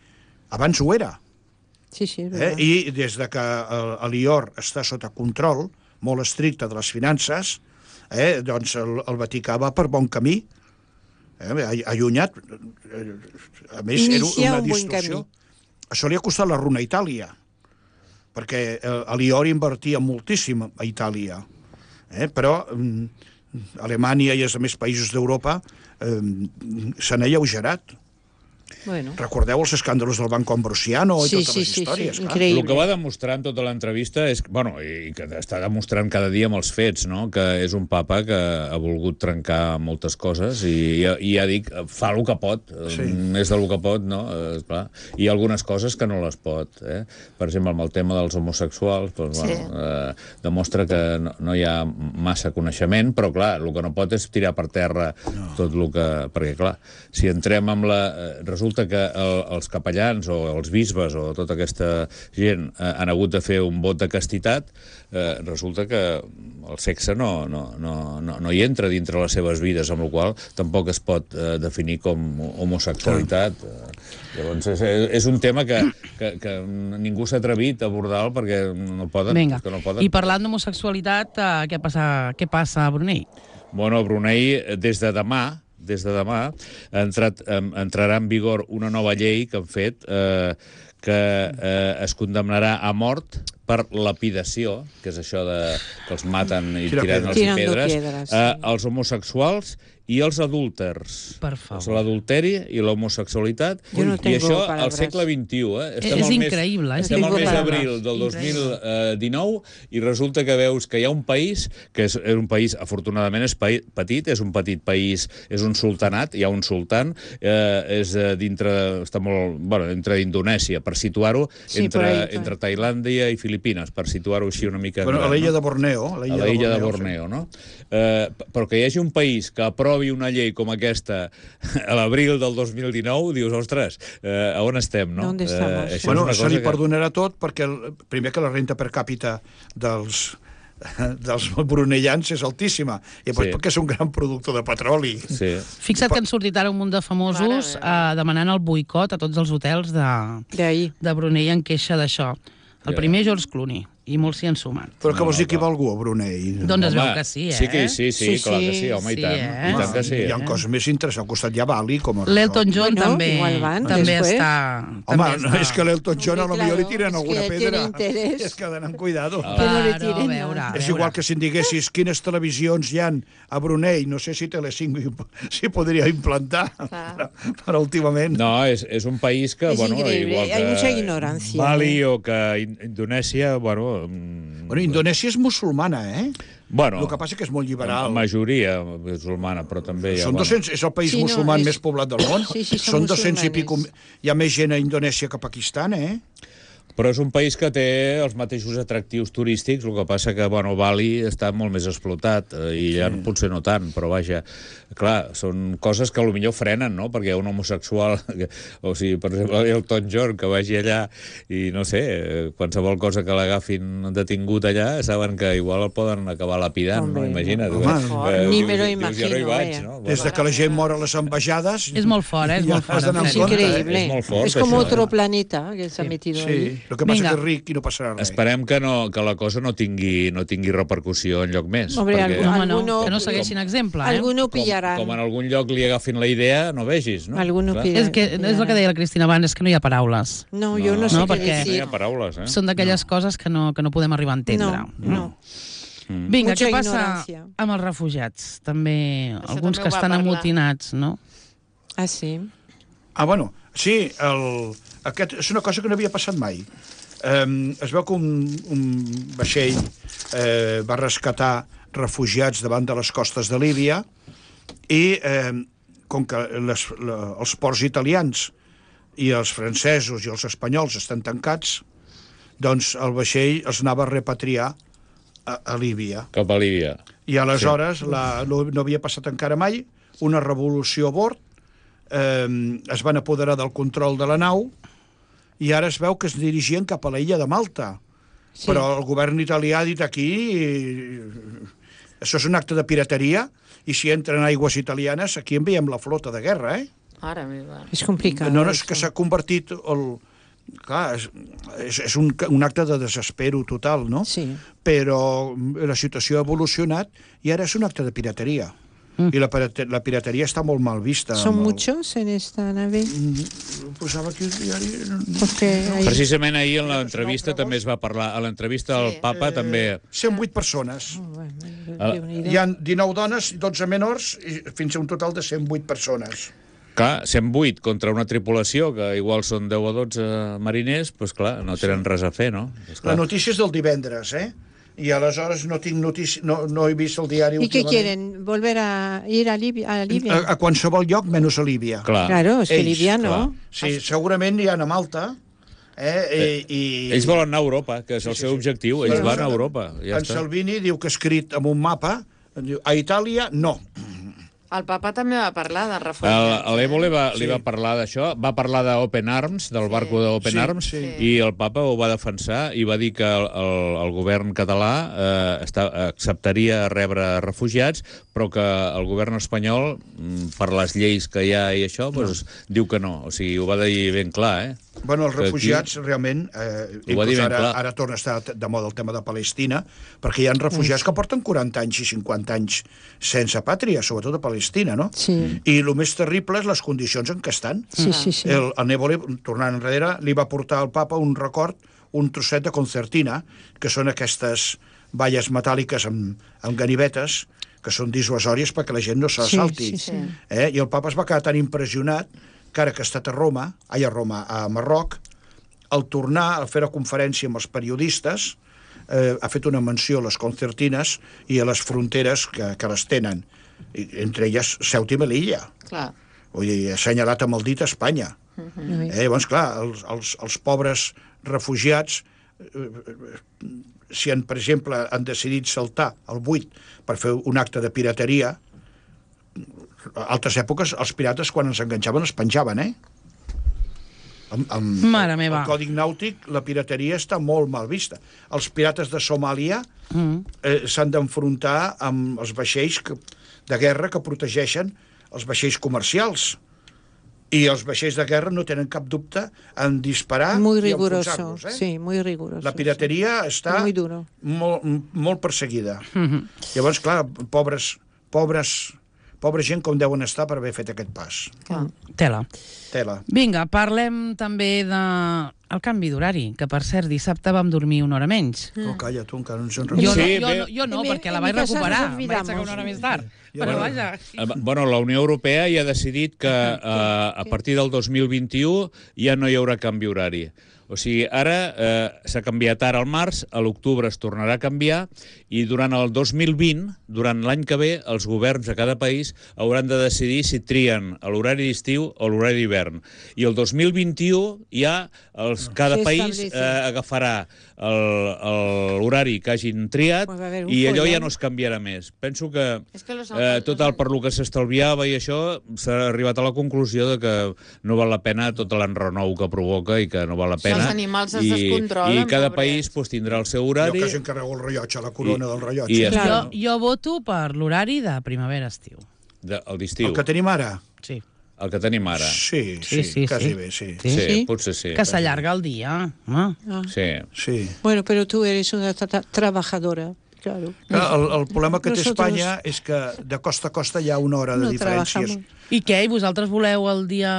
Abans ho era. Sí, sí, es Eh? verdad. I des de que el- l'I O R està sota control molt estricte de les finances, eh? doncs el, el Vaticà va per bon camí, eh? allunyat. eh, A més, era Inicia una un buen distorsió. camí. Això li ha costat la runa a Itàlia, perquè eh, l'I O R invertia moltíssim a Itàlia. Eh? Però mm, Alemanya i els altres països d'Europa eh, s'han alleugerat. Bueno. Recordeu els escàndols del Banco Ambrosiano i Sí, totes sí, les sí, sí, històries. clar. increïble. El que va demostrar en tota l'entrevista és, bueno, i que està demostrant cada dia amb els fets, no? Que és un papa que ha volgut trencar moltes coses i, i ja dic, fa el que pot, Sí. més del que pot, no? Eh, clar. Hi ha algunes coses que no les pot, eh? Per exemple, amb el tema dels homosexuals, doncs, Sí. bueno, eh, demostra que no, no hi ha massa coneixement, però clar, el que no pot és tirar per terra no. tot el que... Perquè clar, si entrem amb la... Eh, resulta que el, els capellans o els bisbes o tota aquesta gent eh, han hagut de fer un vot de castitat, eh, resulta que el sexe no, no, no, no, no hi entra dintre les seves vides, amb la qual cosa tampoc es pot eh, definir com homosexualitat. Eh, llavors, és, és un tema que, que, que ningú s'ha atrevit a abordar perquè no poden. Vinga. Que no poden. I parlant d'homosexualitat, eh, què, passa, què passa a Brunei? Bueno, a Brunei, des de demà, des de demà, ha entrat, em, entrarà en vigor una nova llei que han fet eh, que eh, es condemnarà a mort per lapidació, que és això de que els maten i Tira tiren els pedres. pedres, Tirando pedres, eh, sí. els homosexuals i els adúlters. Per favor. És l'adulteri i l'homosexualitat. Jo no I tengo això al palabras. segle vint-i-u. Eh? És al mes- increïble, és Estem al mes increïble. d'abril del dos mil dinou i resulta que veus que hi ha un país, que és, és un país, afortunadament és paí, petit, és un petit país, és un sultanat, hi ha un sultan, eh, és eh, dintre, està molt, bueno, entre Indonèsia, per situar-ho, Sí, entre, por ahí, por entre Tailàndia i Filipines, per situar-ho així una mica... Bueno, a gran, l'illa no? de Borneo. a la illa de Borneo, no? Eh, però que hi hagi un país que aprovi una llei com aquesta a l'abril del dos mil dinou, dius, ostres, eh, a on estem, no? ¿Dónde estamos? això Bueno, és se una li cosa que... perdonarà tot perquè, el, primer, que la renta per càpita dels dels bruneians és altíssima, i després Sí. perquè és un gran productor de petroli. Sí. Fixa't que han sortit ara un munt de famosos Mare meva. eh, demanant el boicot a tots els hotels de, De ahí. de Brunei en queixa d'això. El Ja. primer, George Clooney, i molts s'hi han sumat. Però què vols dir no, que hi va clar. algú a Brunei? Doncs es Home, veu que sí, eh? Sí, que, sí, sí, Sí, clar que sí, sí, home, sí, i tant. eh? I tant que sí. Hi ha coses més interessants. Al costat hi ha Bali, com a L'Elton John Bueno, també, igual van també después. està... Home, també no, està... és que l'Elton John a lo Hombre, millor li claro, tiren es alguna que pedra. tiene interés. És que d'anar amb cuidado. Que no le Claro, tiren a nada. veure, a És veure. igual que si em diguessis quines televisions hi han a Brunei, no sé si Telecinco s'hi podria implantar, Clar. però últimament... No, és, és un país que, És bueno, increïble, igual que hay mucha ignorancia, Bali eh? o que In- Indonèsia, bueno... mm, Bueno, Indonèsia és musulmana, eh? Bueno, El que passa que és molt la liberal. majoria musulmana, però també hi ha... Són doscents, és el país Sí, no, musulman és- més poblat del món. Sí, sí, són Són doscents i pico... musulmanes. Hi ha més gent a Indonèsia que a Pakistan, eh? Però és un país que té els mateixos atractius turístics, el que passa que, bueno, Bali està molt més explotat, eh, i ja sí. potser no tant, però vaja, clar, són coses que potser frenen, no?, perquè hi ha un homosexual, que, o sigui, per exemple, el Elton John, que vagi allà i, no sé, qualsevol cosa que l'agafin detingut allà, saben que igual el poden acabar lapidant, Hombre, no? Imagina't. Home, eh, ni dius, me lo dius, imagino, jo no hi vaig, eh. no? Des de que la gent mor a les ambaixades... És molt fort, eh? És ja molt has fort. d'anar en amb Es sèrio. compte, increíble. És molt fort, es como això, otro eh? planeta que se ha metido Sí, ahí. el que passa Vinga. que és ric i no passarà res. Esperem que, no, que la cosa no tingui, no tingui repercussió enlloc més. Hombre, perquè, algú- Home, no, Alguno- que no segueixin exemple, eh? Alguno com, pillarán. com en algun lloc li agafin la idea, no vegis, no? Alguno Clar. pillarà. És, que, és el que deia la Cristina abans, és que no hi ha paraules. No, yo no, No, sé no, qué perquè- No hi decir. ha paraules, eh? Són d'aquelles coses que no, que no podem arribar a entendre. No, no. Vinga, Mucha què passa ignorancia. amb els refugiats? També, Això alguns també que ho va estan parlar. amotinats, no? Ah, sí. Ah, bueno, sí, el, aquest és una cosa que no havia passat mai. Um, es veu que un, un vaixell eh, va rescatar refugiats davant de les costes de Líbia i, eh, com que les, la, els ports italians i els francesos i els espanyols estan tancats, doncs el vaixell els anava a repatriar a, a Líbia. Cap a Líbia. I aleshores sí. la, no, no havia passat encara mai, una revolució a bord, eh, es van apoderar del control de la nau i ara es veu que es dirigien cap a la illa de Malta. Sí. Però el govern italià ha dit aquí això és un acte de pirateria i si entren aigües italianes aquí en veiem la flota de guerra, eh? Ara meva. Es complicado. No, no és eso. que s'ha convertit el... Clar, és, és, és un, un acte de desespero total, no? Sí. Però la situació ha evolucionat i ara és un acte de pirateria. Mm. I la, pirate- la pirateria està molt mal vista. ¿Son amb el- muchos en esta nave? Posava aquí el diari... Porque hay... Precisament ahir en l'entrevista també es va parlar, a l'entrevista al Sí. Papa també... cent vuit persones. Oh, bueno, Ah. Déu-n'hi-do. Hi ha dinou dones i dotze menors i fins a un total de cent vuit persones. Clar, cent vuit contra una tripulació, que igual són deu o dotze mariners, doncs clar, no tenen res a fer, no? Pues La clar. notícia és del divendres, eh? I aleshores no tinc notícia, no, no he vist el diari ¿Y qué últimament. quieren? ¿Volver a ir a Libia? A Libia? A, a qualsevol lloc, menys a Líbia. Clar. Claro, es que Ells, Libia no. clar. Sí, segurament hi ha a Malta, eh? I, i... Ells volen anar a Europa, que és el Sí, sí, seu sí. objectiu. Ells Sí. van a Europa. Ja En està. Salvini diu que ha escrit amb un mapa, diu, a Itàlia, no. El papa també va parlar de El- refugiats. L'Evo li va, li Sí. va parlar d'això, va parlar d'Open Arms, del Sí. barco d'Open Sí, Arms, sí. i el papa ho va defensar i va dir que el, el, el govern català eh, està, acceptaria rebre refugiats, però que el govern espanyol, mm, per les lleis que hi ha i això, doncs, diu que no. O sigui, ho va dir ben clar, eh? Bueno, els Que aquí- refugiats, realment, eh, Ho va dir inclús ben ara, clar. ara torna a estar de moda el tema de Palestina, perquè hi ha refugiats que porten quaranta anys i cinquanta anys sense pàtria, sobretot a Palestina, no? Sí. I el més terrible és les condicions en què estan. Sí, sí, sí. El, el Nevole, tornant enrere, li va portar al papa un record, un trosset de concertina, que són aquestes valles metàl·liques amb, amb ganivetes, que són dissuasòries perquè la gent no s'assalti. Sí, sí, sí. Eh? I el papa es va quedar tan impressionat que ara que ha estat a Roma, ai, a Roma, a Marroc, al tornar a fer la conferència amb els periodistes, eh, ha fet una menció a les concertines i a les fronteres que, que les tenen, I, entre elles Ceuta i Melilla. Clar. Vull dir, ha assenyalat amb el dit a Espanya. Uy. Eh, doncs clar, els, els, els pobres refugiats, eh, si, han, per exemple, han decidit saltar el buit per fer un acte de pirateria, a altres èpoques els pirates quan ens enganxaven els penjaven, eh? Amb, amb Mare meva. el còdic nàutic, la pirateria està molt mal vista. Els pirates de Somàlia Mm. eh, s'han d'enfrontar amb els vaixells que, de guerra que protegeixen els vaixells comercials. I els vaixells de guerra no tenen cap dubte en disparar Muy i riguroso, enfonsar-los. Eh? sí, muy riguroso. La pirateria està Muy duro. molt, molt perseguida. Llavors, clar, pobres, pobres, pobra gent com deuen estar per haver fet aquest pas. Clar. Tela. Tela. Vinga, parlem també de el canvi d'horari, que per cert dissabte vam dormir una hora menys. Mm. Oh, calla, tu encara no ens en Jo, recordes. no, Sí, jo, bé. no, jo no, En mi- perquè la en vaig mi casa recuperar. nos Em vaig olvidamos. aixecar una hora més tard. Ja, Però bueno. vaja... Eh, Bueno, la Unió Europea ja ha decidit que eh, a partir del dos mil vint-i-u ja no hi haurà canvi horari. O O sigui, ara eh, s'ha canviat ara al març, a l'octubre es tornarà a canviar i durant el dos mil vint, durant l'any que ve, els governs de cada país hauran de decidir si trien l'horari d'estiu o l'horari d'hivern. I el dos mil vint-i-u ja els, cada Sí, país establece. eh, agafarà l'horari que hagin triat Pues va haver un i allò ja follón. no es canviarà més. Penso que És que los eh, alcaldes- tot el per lo que s'estalviava i això s'ha arribat a la conclusió de que no val la pena tot l'enrenou que provoca i que no val la pena. Els animals es I, descontrolen, I cada pobrets. país pues, tindrà el seu Jo horari. que s'encarrego el rellotge, la corona I- del rellotge. i ja està. Jo, jo voto per l'horari de primavera-estiu. De, el d'estiu, El que tenim ara? Sí. el que tenim ara. Sí, Sí, sí, sí, quasi sí. bé, sí. Sí, sí, sí. potser sí. Que s'allarga el dia. Home. Ah. Sí. Sí. Bueno, pero tú eres una tra- tra- trabajadora, claro. Clar, el, el problema que té Nosotros Espanya és que de costa a costa hi ha una hora de no diferències. trabajamos. I què? I vosaltres voleu el dia...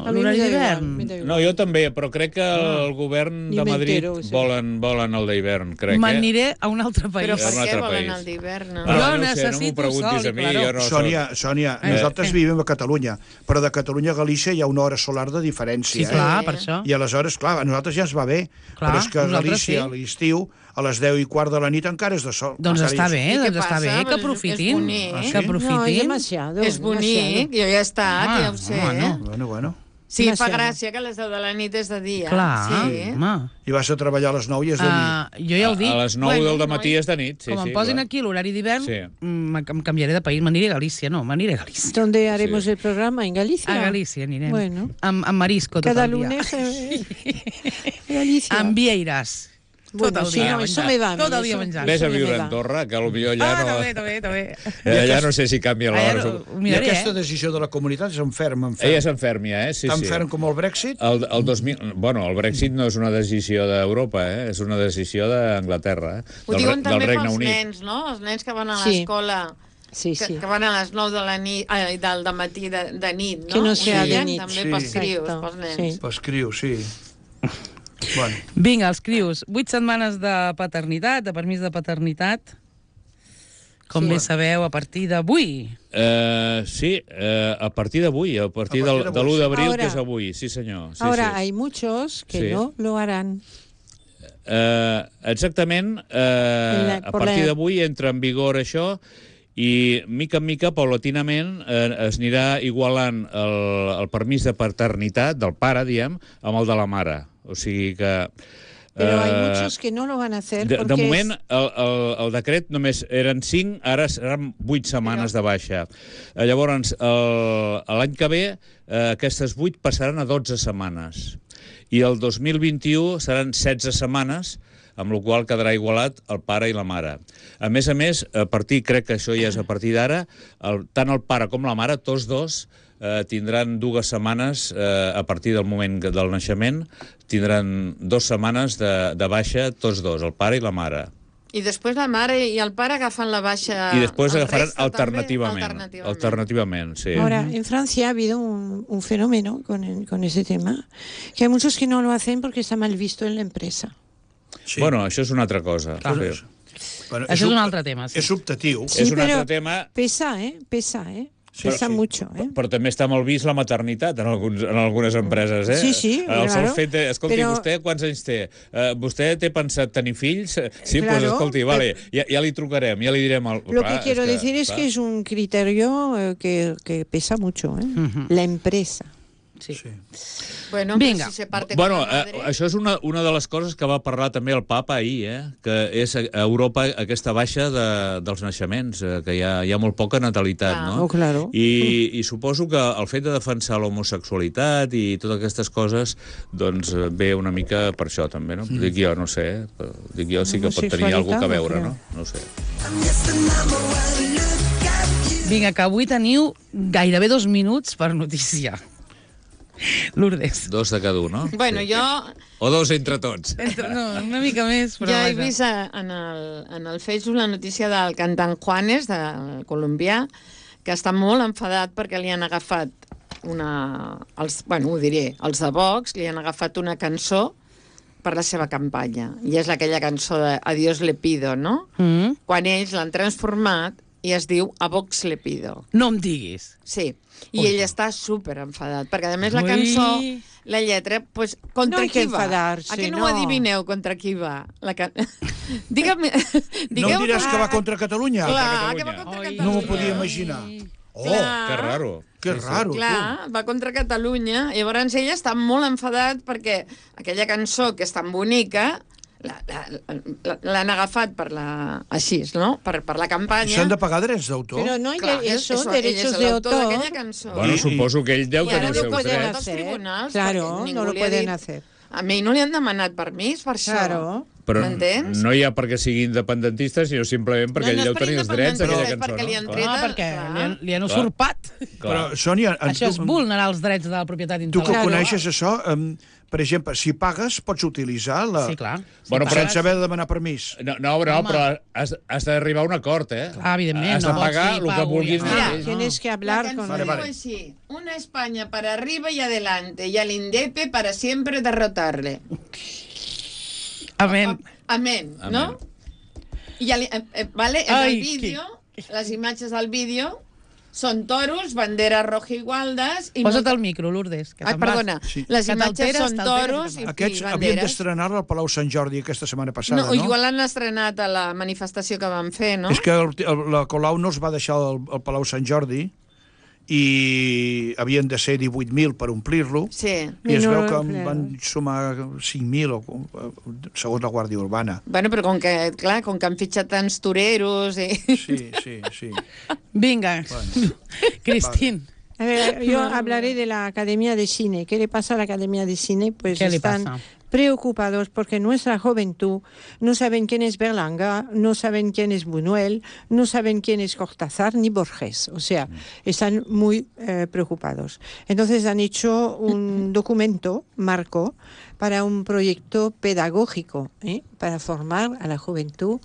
A mi l'horari me da igual, d'hivern? me da igual. No, jo també, però crec que el govern Ni de Madrid m'entero, sí. volen, volen el d'hivern, crec. Me'n eh? aniré a un altre país. Però És per un què altre volen país. el d'hivern? No? Ah, Jo no sé, no m'ho necessito preguntis sol, a mi, claro. jo no Sònia, soc... Sònia, Eh, nosaltres eh. vivim a Catalunya, però de Catalunya a Galícia hi ha una hora solar de diferència. Sí, eh? clar, Sí. per això. I aleshores, clar, a nosaltres ja ens va bé, Clar, però és que a nosaltres Galícia, sí. a l'estiu, a les deu i quart de la nit encara és de sol. Doncs Encara està hi és- bé, I què doncs està passa? bé, que Pues és aprofitin. bonic. Ah, sí? Que No, es aprofitin. demasiado. És bonic, jo ja he estat, Home, ja ho sé. home, no. Bueno, bueno. Sí, fa Demasiado. gràcia que a les deu de la nit és de dia. Clar, Sí. home. I vas a treballar a les nou i és de nit. Uh, jo ja ho dic. A les nou Bueno, del matí noi. és de nit. Sí, Com em sí, posin clar. aquí l'horari d'hivern, Sí. mm, em canviaré de país. M'aniré a Galícia, no, m'aniré a Galícia. ¿Dónde haremos Sí. el programa? ¿En Galicia? A Galícia anirem. Bueno. Amb, amb marisco tot Cada el dia. lunes eh, Galicia. Amb vieiras. Bueno, tot el sí, dia no, eso menjant. me va a mí, Tot el dia eso- menjant. Ves a Això ja viure me a va. Andorra, que potser allà Ah, no... també, també, també. Eh, Allà no sé si canvia Allà l'hora. no- ho I miraré, aquesta eh? decisió de la comunitat és enferm, enferm. Ella s'enfermia, eh? Sí, Tan sí. ferm com el Brexit? El, el dos mil... Bueno, el Brexit no és una decisió d'Europa, eh? És una decisió d'Anglaterra, eh? Ho Del, diuen Re- del també Regne pels Unit. nens, no? Els nens que van a Sí. l'escola, Sí, que, sí. que van a les nou de la nit, ai, del matí de, de nit, no? Que no sea Ho de deien nit. També Sí. pels crios, Exacte, pels nens. sí. Escriu, sí. Bueno, Vinga, els crios. Vuit setmanes de paternitat, de permís de paternitat. Com Sí. bé sabeu, a partir d'avui. Uh, sí, uh, a partir d'avui, a partir, A partir del, d'avui, de l'u sí. d'abril, Ahora- que és avui, sí senyor. Sí, Ahora sí. hay muchos que Sí. no lo harán. Uh, exactament, uh, la- a por partir la- d'avui entra en vigor això i mica en mica, paulatinament, eh, es anirà igualant el, el permís de paternitat del pare, diem, amb el de la mare. O sigui que... Pero hay eh, muchos que no lo van a hacer De, porque de moment, es- el, el, el decret només eren cinc, ara seran vuit setmanes de baixa. Eh, Llavors, el- l'any que ve, eh, aquestes vuit passaran a dotze setmanes. I el dos mil vint-i-u seran setze setmanes, amb la qual quedarà igualat el pare i la mare. A més a més, a partir, crec que això ja és a partir d'ara, el, tant el pare com la mare, tots dos, eh, tindran dues setmanes, eh, a partir del moment que- del naixement, tindran dues setmanes de, de baixa tots dos, el pare i la mare. I després la mare i el pare agafen la baixa... I després el agafaran resta també, alternativament. alternativament. Alternativament, sí. Ahora, en Francia ha habido un, un fenómeno con, el- con ese tema, que hay muchos que no lo hacen porque está mal visto en la empresa. sí. Bueno, això és una altra cosa. Clar. Sí. Bueno, Això és un ob- altre tema, sí. És optatiu. És un pero altre tema. pesa, ¿eh? Pesa, ¿eh? Sí, Pesa sí. mucho, ¿eh? Però també està molt vist la maternitat en, alguns, en algunes empreses, eh? Sí, sí, El sol claro. fet de... Escolti, Però- vostè quants anys té? Uh, vostè té pensat tenir fills? Sí, doncs Claro, escolti, vale, ja, ja li trucarem, ja li direm... El... Lo Clar, que quiero és que, decir es clar. que es un criterio eh, que, que pesa mucho, ¿eh? La empresa. Sí. Sí. Bueno, Vinga. Vinga. si se parte Bueno, con la eh, madre... això és una, una de les coses que va parlar també el papa ahir, eh? Que és a Europa aquesta baixa de, dels naixements, eh, que hi ha, hi ha molt poca natalitat, Clar. no? Oh, claro. I, I suposo que el fet de defensar l'homosexualitat i totes aquestes coses, doncs eh, ve una mica per això també, no? Dic jo, no sé, eh? Dic jo sí que pot tenir alguna cosa a veure, no? No ho sé. Vinga, que avui teniu gairebé dos minuts per notícia. Lourdes. Dos de cada un, no? Bueno, Sí. jo O dos entre tots. Entre, no, una mica més, però ja he vaja. vist a- en el, en el Facebook la notícia del cantant Juanes, del colombià, que està molt enfadat perquè li han agafat una... Els, bueno, ho diré, els de Vox li han agafat una cançó per la seva campanya. I és aquella cançó de Adiós le pido, no? Mm. Quan ells l'han transformat i es diu A Vox le pido. No em diguis. Sí, i ell està super enfadat, perquè a més la Ui. cançó, la lletra, pues, contra No hay que qui va? enfadarse, A que no, no. ho adivineu contra qui va? La can... Digue'm... No em diràs que va contra Catalunya? Clar, que va contra Oi. Catalunya. No m'ho podia imaginar. Oh, Clar. Que raro. que raro. Clar, va contra Catalunya. Llavors ell està molt enfadat perquè aquella cançó que és tan bonica la- la- la- l'han agafat per la... així, no? Per, per la campanya. S'han de pagar drets d'autor? Pero no hay Clar, de- eso, ell derechos és de l'autor autor. d'aquella cançó. Bueno, I- suposo que ell deu I tenir ara els no seus poden drets. als tribunals, Claro, perquè ningú no lo li ha pueden dit. hacer. A mi no li han demanat permís per això. Claro. Però M'entens? no hi ha perquè sigui independentista, sinó simplement perquè no, no ell és deu per tenir els drets independència, d'aquella és cançó. perquè li han no? tret- Ah, Clar. perquè li han, li han usurpat. Però, Sònia, en Això és tu, vulnerar els drets de la propietat tu que intel·lectual. coneixes això, um, per exemple, si pagues, pots utilitzar la... Sí, clar. Bueno, Sí, però- sense haver de demanar permís. No, no, no Home. però has, has d'arribar a un acord, eh? Clar, evidentment, Has de no pots pagar dir, el que pago, vulguin ja està. Mira, ells. Tienes que La hablar cançó con Vale, diu vale. així: una España para arriba y adelante, y al indepe para siempre derrotarle. Amén. Amén, Amén. no? I el, eh, eh, vale, en Ai, el vídeo, les imatges del vídeo són toros, bandera roja i gualdes... I Posa't molta- el micro, Lourdes, que Ai, te'n vas. perdona, Sí. les Que imatges t'alteres, són t'alteres, toros i, Aquests i havien banderes. d'estrenar-la al Palau Sant Jordi aquesta setmana passada, No, no? igual l'han estrenat a la manifestació que van fer, no? És que el, el, la Colau no els va deixar al, al Palau Sant Jordi i havien de ser divuit mil per omplir-lo, Sí. i es I no veu que en l'han van sumar cinc mil, o, segons la Guàrdia Urbana. Bueno, però com que, clar, com que han fitxat tants toreros i... Sí, sí, sí. Vinga, Cristín. A ver, yo hablaré de la Academia de Cine. ¿Qué le pasa a la Academia de Cine? Pues ¿Qué le están pasa? preocupados porque nuestra juventud no saben quién es Berlanga, no saben quién es Buñuel, no saben quién es Cortázar ni Borges. O sea, están muy eh, preocupados. Entonces han hecho un documento, marco, para un proyecto pedagógico, ¿eh? Para formar a la juventud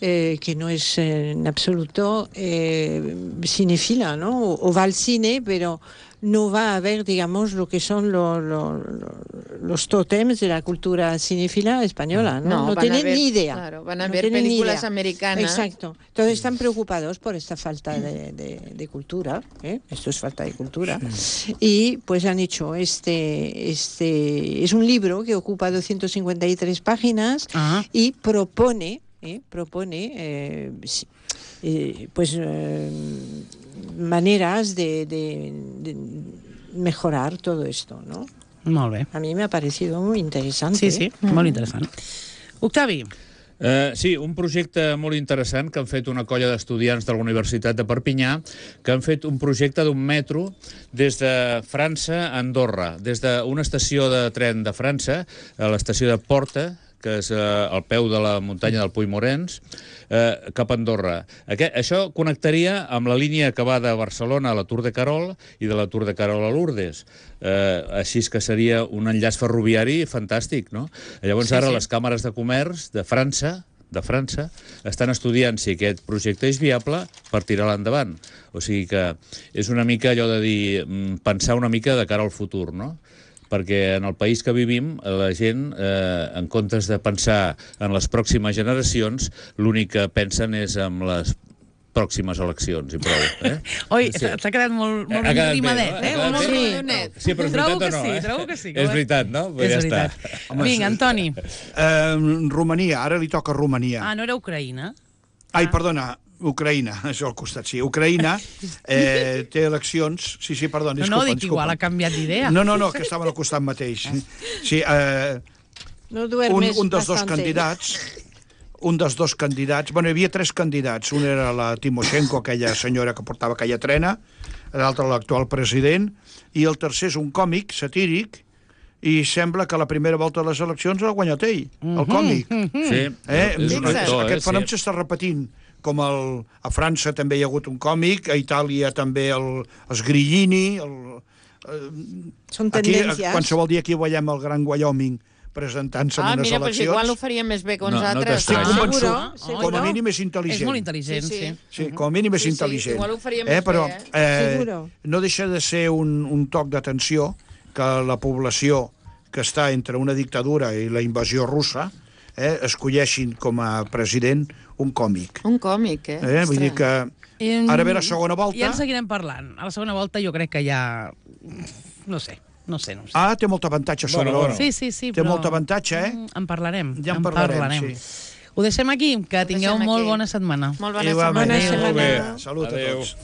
eh, que no es eh, en absoluto eh, cinefila, ¿no? O, o va al cine, pero no va a ver, digamos, lo que son lo- lo- lo- los tótems de la cultura cinéfila española, ¿no? No, van a tienen ver- ni idea. Claro, van a No ver tienen ni películas idea. americanas. Exacto. Entonces están preocupados por esta falta de, de- de cultura, ¿eh? Esto es falta de cultura. Y pues han hecho este, este, es un libro que ocupa doscientas cincuenta y tres páginas Ah. y propone, ¿eh? propone, eh, sí, eh, pues eh, maneras de, de- de mejorar todo esto, ¿no? Molt bé. A mí me ha parecido muy interesante. Sí, sí, molt interessant. Octavi, Eh, sí, un projecte molt interessant que han fet una colla d'estudiants de la Universitat de Perpinyà, que han fet un projecte d'un metro des de França a Andorra, des d'una estació de tren de França, a l'estació de Porta, que és eh, al peu de la muntanya del Puig Morens, eh, cap a Andorra. Aquest, això connectaria amb la línia que va de Barcelona a la Tour de Carol i de la Tour de Carol a Lourdes. Eh, així és que seria un enllaç ferroviari fantàstic, no? Llavors Sí, ara sí. les càmeres de comerç de França de França estan estudiant si aquest projecte és viable per tirar-lo endavant. O sigui que és una mica allò de dir, mm, pensar una mica de cara al futur, no? Perquè en el país que vivim, la gent, eh, en comptes de pensar en les pròximes generacions, l'únic que pensen és en les pròximes eleccions, i prou. Eh? oi, Sí. s'ha quedat molt, molt Ha quedat bé, rimadet, no? eh? Ha quedat Molt bé. rimadet. Sí, però és Trobo veritat que o no, sí, eh? trobo que sí. És veritat, no? Pues És ja veritat. està. Home, Vinga, sí. Antoni. Eh, Romania, ara li toca Romania. Ah, no era Ucraïna? Ai, perdona, Ucraïna, això al costat, sí. Ucraïna eh, té eleccions... Sí, sí, perdona, No, disculpa. no, dic disculpa. igual, ha canviat d'idea. No, no, no, que estaven al costat mateix. Sí, eh, No un, duermes un dels dos bastante. candidats, un dels dos candidats, bueno, hi havia tres candidats, un era la Timoshenko, aquella senyora que portava aquella trena, l'altre l'actual president, i el tercer és un còmic satíric, i sembla que la primera volta de les eleccions l'ha guanyat ell, el còmic. Sí, Eh? és un Fixa't. actor, Aquest eh? fenomen Sí. s'està repetint, com el, a França també hi ha hagut un còmic, a Itàlia també el, els Grillini, el, Son aquí, tendencias. qualsevol dia aquí veiem el Gran Wyoming presentant-se Ah, en unes mira, doncs eleccions. igual ho faria més bé que uns No, no altres. Estic t'estranya. convençut, Seguro, seguro. com a mínim és intel·ligent. És molt intel·ligent, Sí, sí. sí. Sí, com a mínim és Sí, sí, intel·ligent. igual ho faria més eh, però, bé, eh, Seguro. no deixa de ser un, un toc d'atenció que la població que està entre una dictadura i la invasió russa eh, escolleixin com a president un còmic. Un còmic, eh? Eh? Vull dir que Em, ara ve la segona volta. Ja en seguirem parlant. A la segona volta jo crec que ja... No sé, no sé, no sé. Ah, té molt avantatge sobre Bueno, bueno. l'hora. Sí, sí, sí, Té però... molt avantatge, eh? Mm, En parlarem. Ja en parlarem, sí. Ho deixem aquí, que Ho tingueu deixem molt aquí. bona setmana. Molt bona Igualment. setmana. Bona Molt bé. setmana. Salut a Adéu. tots.